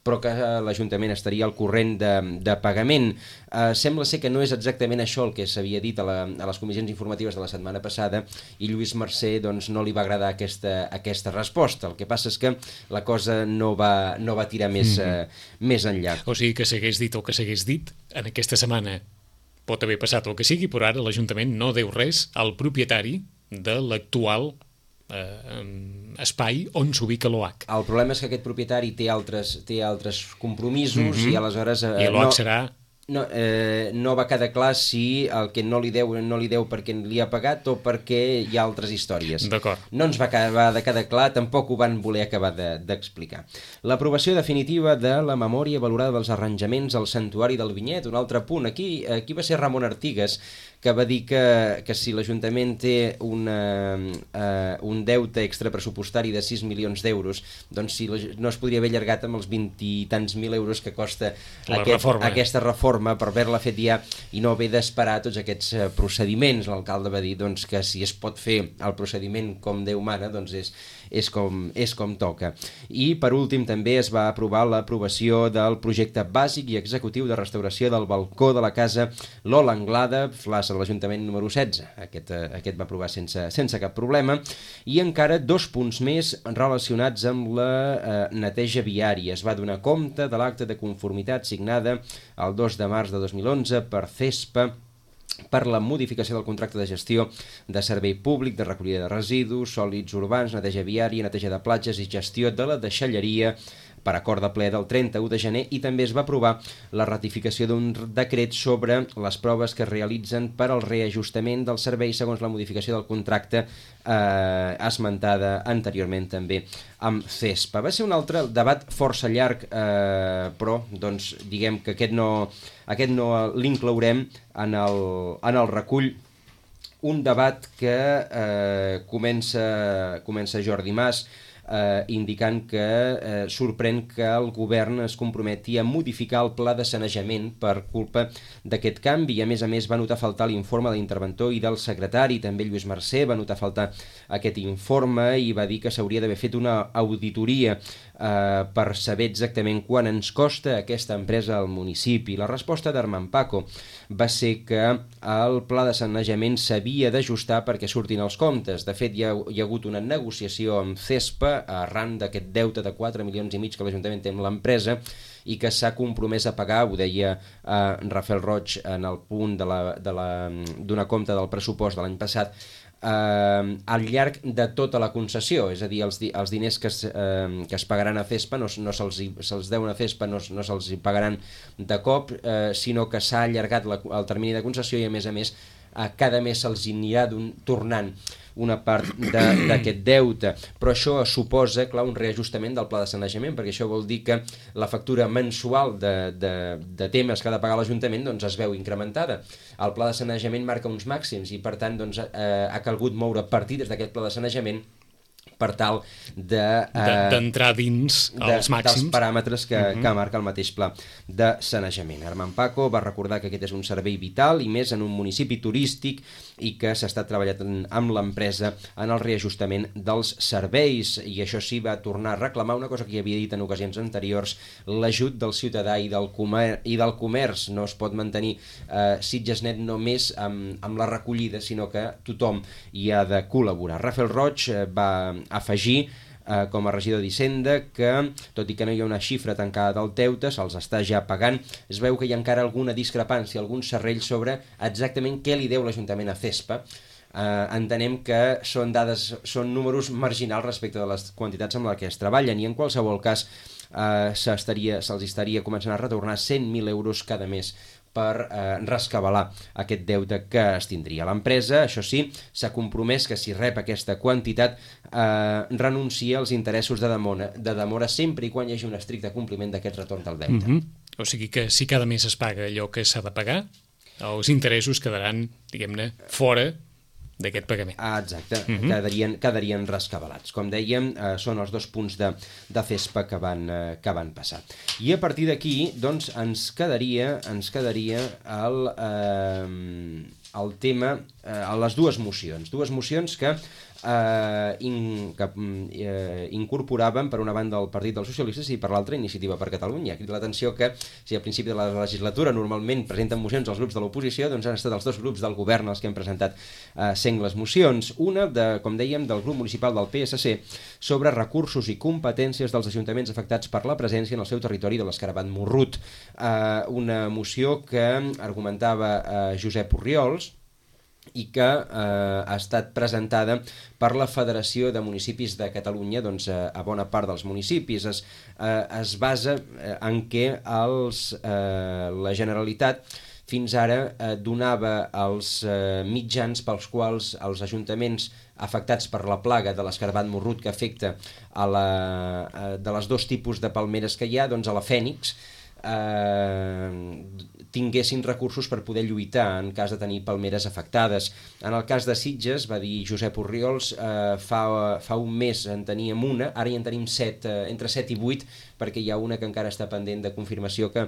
però que l'Ajuntament estaria al corrent de, de pagament. Eh, sembla ser que no és exactament això el que s'havia dit a, la, a les comissions informatives de la setmana passada i Lluís Mercè doncs, no li va agradar aquesta, aquesta resposta. El que passa és que la cosa no va, no va tirar més, mm-hmm. eh, més enllà. O sigui que s'hagués dit el que s'hagués dit en aquesta setmana. Pot haver passat el que sigui, però ara l'Ajuntament no deu res al propietari de l'actual Eh, espai on s'ubica l'O H. El problema és que aquest propietari té altres, té altres compromisos mm-hmm. i aleshores eh, I l'O H no, serà no, eh, no va quedar clar si el que no li deu no li deu perquè li ha pagat o perquè hi ha altres històries. D'acord. No ens va acabar de quedar clar, tampoc ho van voler acabar d'explicar. De, L'aprovació definitiva de la memòria valorada dels arranjaments al Santuari del Vinyet, un altre punt. Aquí, aquí va ser Ramon Artigas que va dir que, que si l'Ajuntament té una, uh, un deute extrapressupostari de sis milions d'euros, doncs si no es podria haver allargat amb els vint i tants mil euros que costa aquest, reforma. aquesta reforma per haver-la fet ja i no haver d'esperar tots aquests uh, procediments. L'alcalde va dir doncs, que si es pot fer el procediment com Déu mana, doncs és, és, com, és com toca. I per últim també es va aprovar l'aprovació del projecte bàsic i executiu de restauració del balcó de la casa Lola Anglada, plaça de l'Ajuntament número setze. Aquest, eh, aquest va aprovar sense, sense cap problema. I encara dos punts més relacionats amb la eh, neteja viària. Es va donar compte de l'acte de conformitat signada el dos de març de dos mil onze per CESPA per la modificació del contracte de gestió de servei públic, de recollida de residus, sòlids urbans, neteja viària, neteja de platges i gestió de la deixalleria per acord de ple del trenta-u de gener, i també es va aprovar la ratificació d'un decret sobre les proves que es realitzen per al reajustament del servei segons la modificació del contracte eh, esmentada anteriorment també amb CESPA. Va ser un altre debat força llarg, eh, però doncs, diguem que aquest no, aquest no l'inclourem en el, en el recull. Un debat que eh, comença, comença Jordi Mas, Eh, indicant que eh, sorprèn que el govern es comprometi a modificar el pla de sanejament per culpa d'aquest canvi. A més a més va notar faltar l'informe de l'interventor i del secretari, també Lluís Mercè va notar faltar aquest informe i va dir que s'hauria d'haver fet una auditoria eh, per saber exactament quant ens costa aquesta empresa al municipi. La resposta d'Armand Paco va ser que el pla de sanejament s'havia d'ajustar perquè surtin els comptes. De fet, hi ha, hi ha hagut una negociació amb CESPA arran d'aquest deute de quatre milions i mig que l'Ajuntament té amb l'empresa i que s'ha compromès a pagar, ho deia eh, Rafael Roig en el punt de la, de la, d'una compte del pressupost de l'any passat, eh, al llarg de tota la concessió, és a dir, els, di, els diners que es, eh, que es pagaran a CESPA no, no se'ls, se'ls deuen a CESPA, no, no se'ls pagaran de cop, eh, sinó que s'ha allargat la, el termini de concessió i a més a més a cada mes se'ls anirà tornant una part d'aquest deute, però això suposa, clar, un reajustament del pla de sanejament, perquè això vol dir que la factura mensual de, de, de temes que ha de pagar l'Ajuntament doncs, es veu incrementada. El pla de sanejament marca uns màxims i per tant doncs, eh, ha calgut moure partides d'aquest pla de sanejament per tal de, eh, d'entrar dins els màxims dels paràmetres que, uh-huh. que marca el mateix pla de sanejament. Armand Paco va recordar que aquest és un servei vital i més en un municipi turístic i que s'està treballant amb l'empresa en el reajustament dels serveis, i això sí va tornar a reclamar una cosa que ja havia dit en ocasions anteriors, l'ajut del ciutadà i del, comer i del comerç. No es pot mantenir eh, Sitgesnet només amb, amb la recollida, sinó que tothom hi ha de col·laborar. Rafael Roig eh, va afegir eh, com a regidor d'Hisenda que, tot i que no hi ha una xifra tancada del deute, se'ls està ja pagant, es veu que hi ha encara alguna discrepància, algun serrell sobre exactament què li deu l'Ajuntament a CESPA. Eh, entenem que són dades, són números marginals respecte de les quantitats amb les que es treballen, i en qualsevol cas eh, se'ls estaria començant a retornar cent mil euros cada mes per eh, rescabalar aquest deute que es tindria. L'empresa, això sí, s'ha compromès que si rep aquesta quantitat eh, renuncia als interessos de demora, de demora sempre i quan hi hagi un estricte compliment d'aquest retorn del deute. Mm-hmm. O sigui que si cada mes es paga allò que s'ha de pagar, els interessos quedaran, diguem-ne, fora d'aquest pagament. Ah, exacte, mm-hmm. quedarien, quedarien rescabalats. Com dèiem, eh, són els dos punts de, de CESPA que van, eh, que van passar. I a partir d'aquí, doncs, ens quedaria, ens quedaria el, eh, el tema, eh, les dues mocions. Dues mocions que eh, in, que eh, incorporaven per una banda el Partit dels Socialistes i per l'altra Iniciativa per Catalunya. Crida l'atenció que si al principi de la legislatura normalment presenten mocions els grups de l'oposició, doncs han estat els dos grups del govern els que han presentat eh, sengles mocions. Una, de, com dèiem, del grup municipal del P S C sobre recursos i competències dels ajuntaments afectats per la presència en el seu territori de l'escarabat morrut. Eh, una moció que argumentava eh, Josep Orriols i que eh, ha estat presentada per la Federació de Municipis de Catalunya. Doncs, eh, a bona part dels municipis es, eh, es basa eh, en què els, eh, la Generalitat fins ara eh, donava els eh, mitjans pels quals els ajuntaments afectats per la plaga de l'escarabat morrut que afecta a la, a, de les dos tipus de palmeres que hi ha, doncs a la Fènix, eh, tinguessin recursos per poder lluitar en cas de tenir palmeres afectades. En el cas de Sitges, va dir Josep Orriols, eh, fa, fa un mes en teníem una, ara ja en tenim set, eh, entre set i vuit, perquè hi ha una que encara està pendent de confirmació que,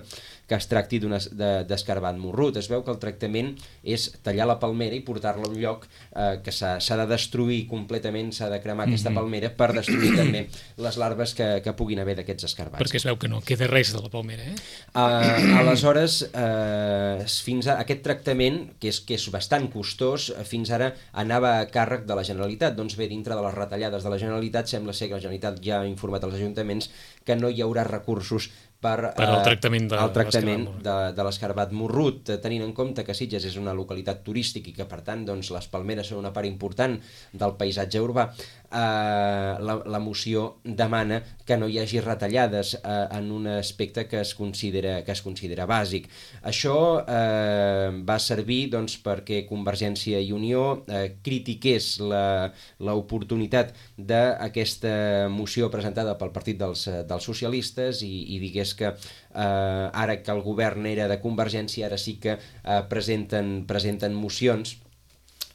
que es tracti d'escarbat de, morrut. Es veu que el tractament és tallar la palmera i portar-la a un lloc eh, que s'ha de destruir completament, s'ha de cremar aquesta mm-hmm. palmera per destruir també les larves que, que puguin haver d'aquests escarbats. Perquè es veu que no queda res de la palmera, eh? Uh, aleshores, uh, fins a aquest tractament, que és, que és bastant costós, fins ara anava a càrrec de la Generalitat. Doncs bé, dintre de les retallades de la Generalitat, sembla ser que la Generalitat ja ha informat als ajuntaments que no hi haurà recursos per, per al tractament de, el tractament de, de l'escarbat morrut, tenint en compte que Sitges és una localitat turística i que per tant doncs, les palmeres són una part important del paisatge urbà. Eh, la, la moció demana que no hi hagi retallades eh, en un aspecte que es considera, que es considera bàsic. Això eh, va servir doncs, perquè Convergència i Unió eh, critiqués l'oportunitat d'aquesta moció presentada pel Partit dels, dels Socialistes i, i digués que eh, ara que el govern era de Convergència, ara sí que eh, presenten, presenten mocions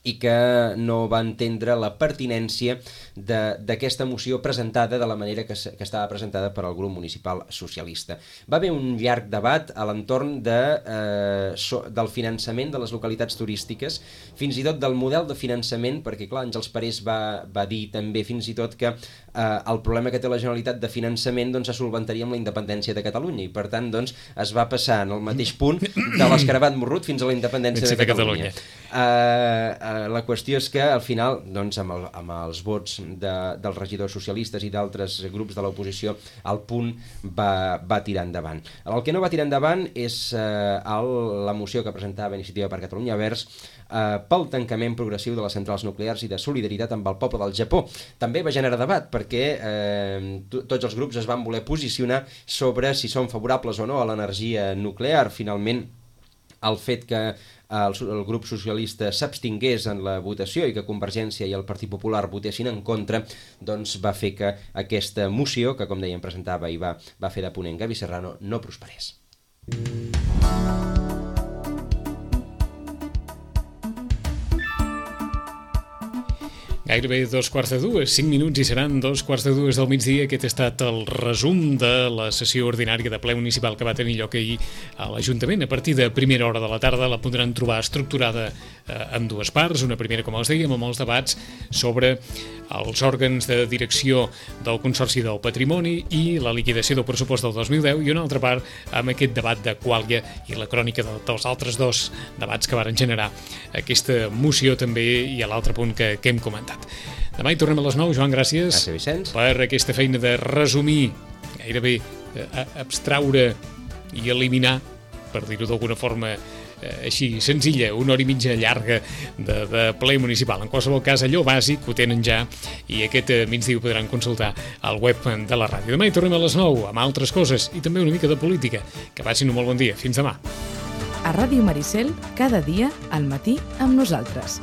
i que no va entendre la pertinència d'aquesta moció presentada de la manera que, que estava presentada per al grup municipal socialista. Va haver un llarg debat a l'entorn de, eh, so, del finançament de les localitats turístiques, fins i tot del model de finançament, perquè clar, Àngels Parés va, va dir també fins i tot que eh, el problema que té la Generalitat de finançament doncs, es solventaria amb la independència de Catalunya i per tant doncs, es va passar en el mateix punt de l'escarbat morrut fins a la independència de Catalunya. De Catalunya. Eh, la qüestió és que al final doncs, amb, el, amb els vots de, dels regidors socialistes i d'altres grups de l'oposició el punt va, va tirar endavant. El que no va tirar endavant és eh, el, la moció que presentava Iniciativa per Catalunya Verds eh, pel tancament progressiu de les centrals nuclears i de solidaritat amb el poble del Japó. També va generar debat perquè eh, tots els grups es van voler posicionar sobre si són favorables o no a l'energia nuclear. Finalment, el fet que el, el grup socialista s'abstingués en la votació i que Convergència i el Partit Popular votessin en contra, doncs va fer que aquesta moció, que com dèiem presentava i va, va fer de ponent Gavi Serrano, no prosperés. Gairebé dos quarts de dues, cinc minuts i seran dos quarts de dues del migdia. Aquest ha estat el resum de la sessió ordinària de ple municipal que va tenir lloc ahir a l'Ajuntament. A partir de primera hora de la tarda la podran trobar estructurada eh, en dues parts. Una primera, com els dèiem, amb els debats sobre els òrgans de direcció del Consorci del Patrimoni i la liquidació del pressupost del dos mil deu, i una altra part amb aquest debat de Quàlia i la crònica de, dels altres dos debats que varen generar aquesta moció també i a l'altre punt que, que hem comentat. Demà hi tornem a les nou. Joan, gràcies, gràcies Vicenç, per aquesta feina de resumir, gairebé eh, abstraure i eliminar, per dir-ho d'alguna forma eh, així senzilla, una hora i mitja llarga de, de ple municipal. En qualsevol cas, allò bàsic ho tenen ja i aquest eh, migdia ho podran consultar al web de la ràdio. Demà hi tornem a les nou amb altres coses i també una mica de política. Que passin un molt bon dia. Fins demà. A Ràdio Maricel, cada dia al matí amb nosaltres.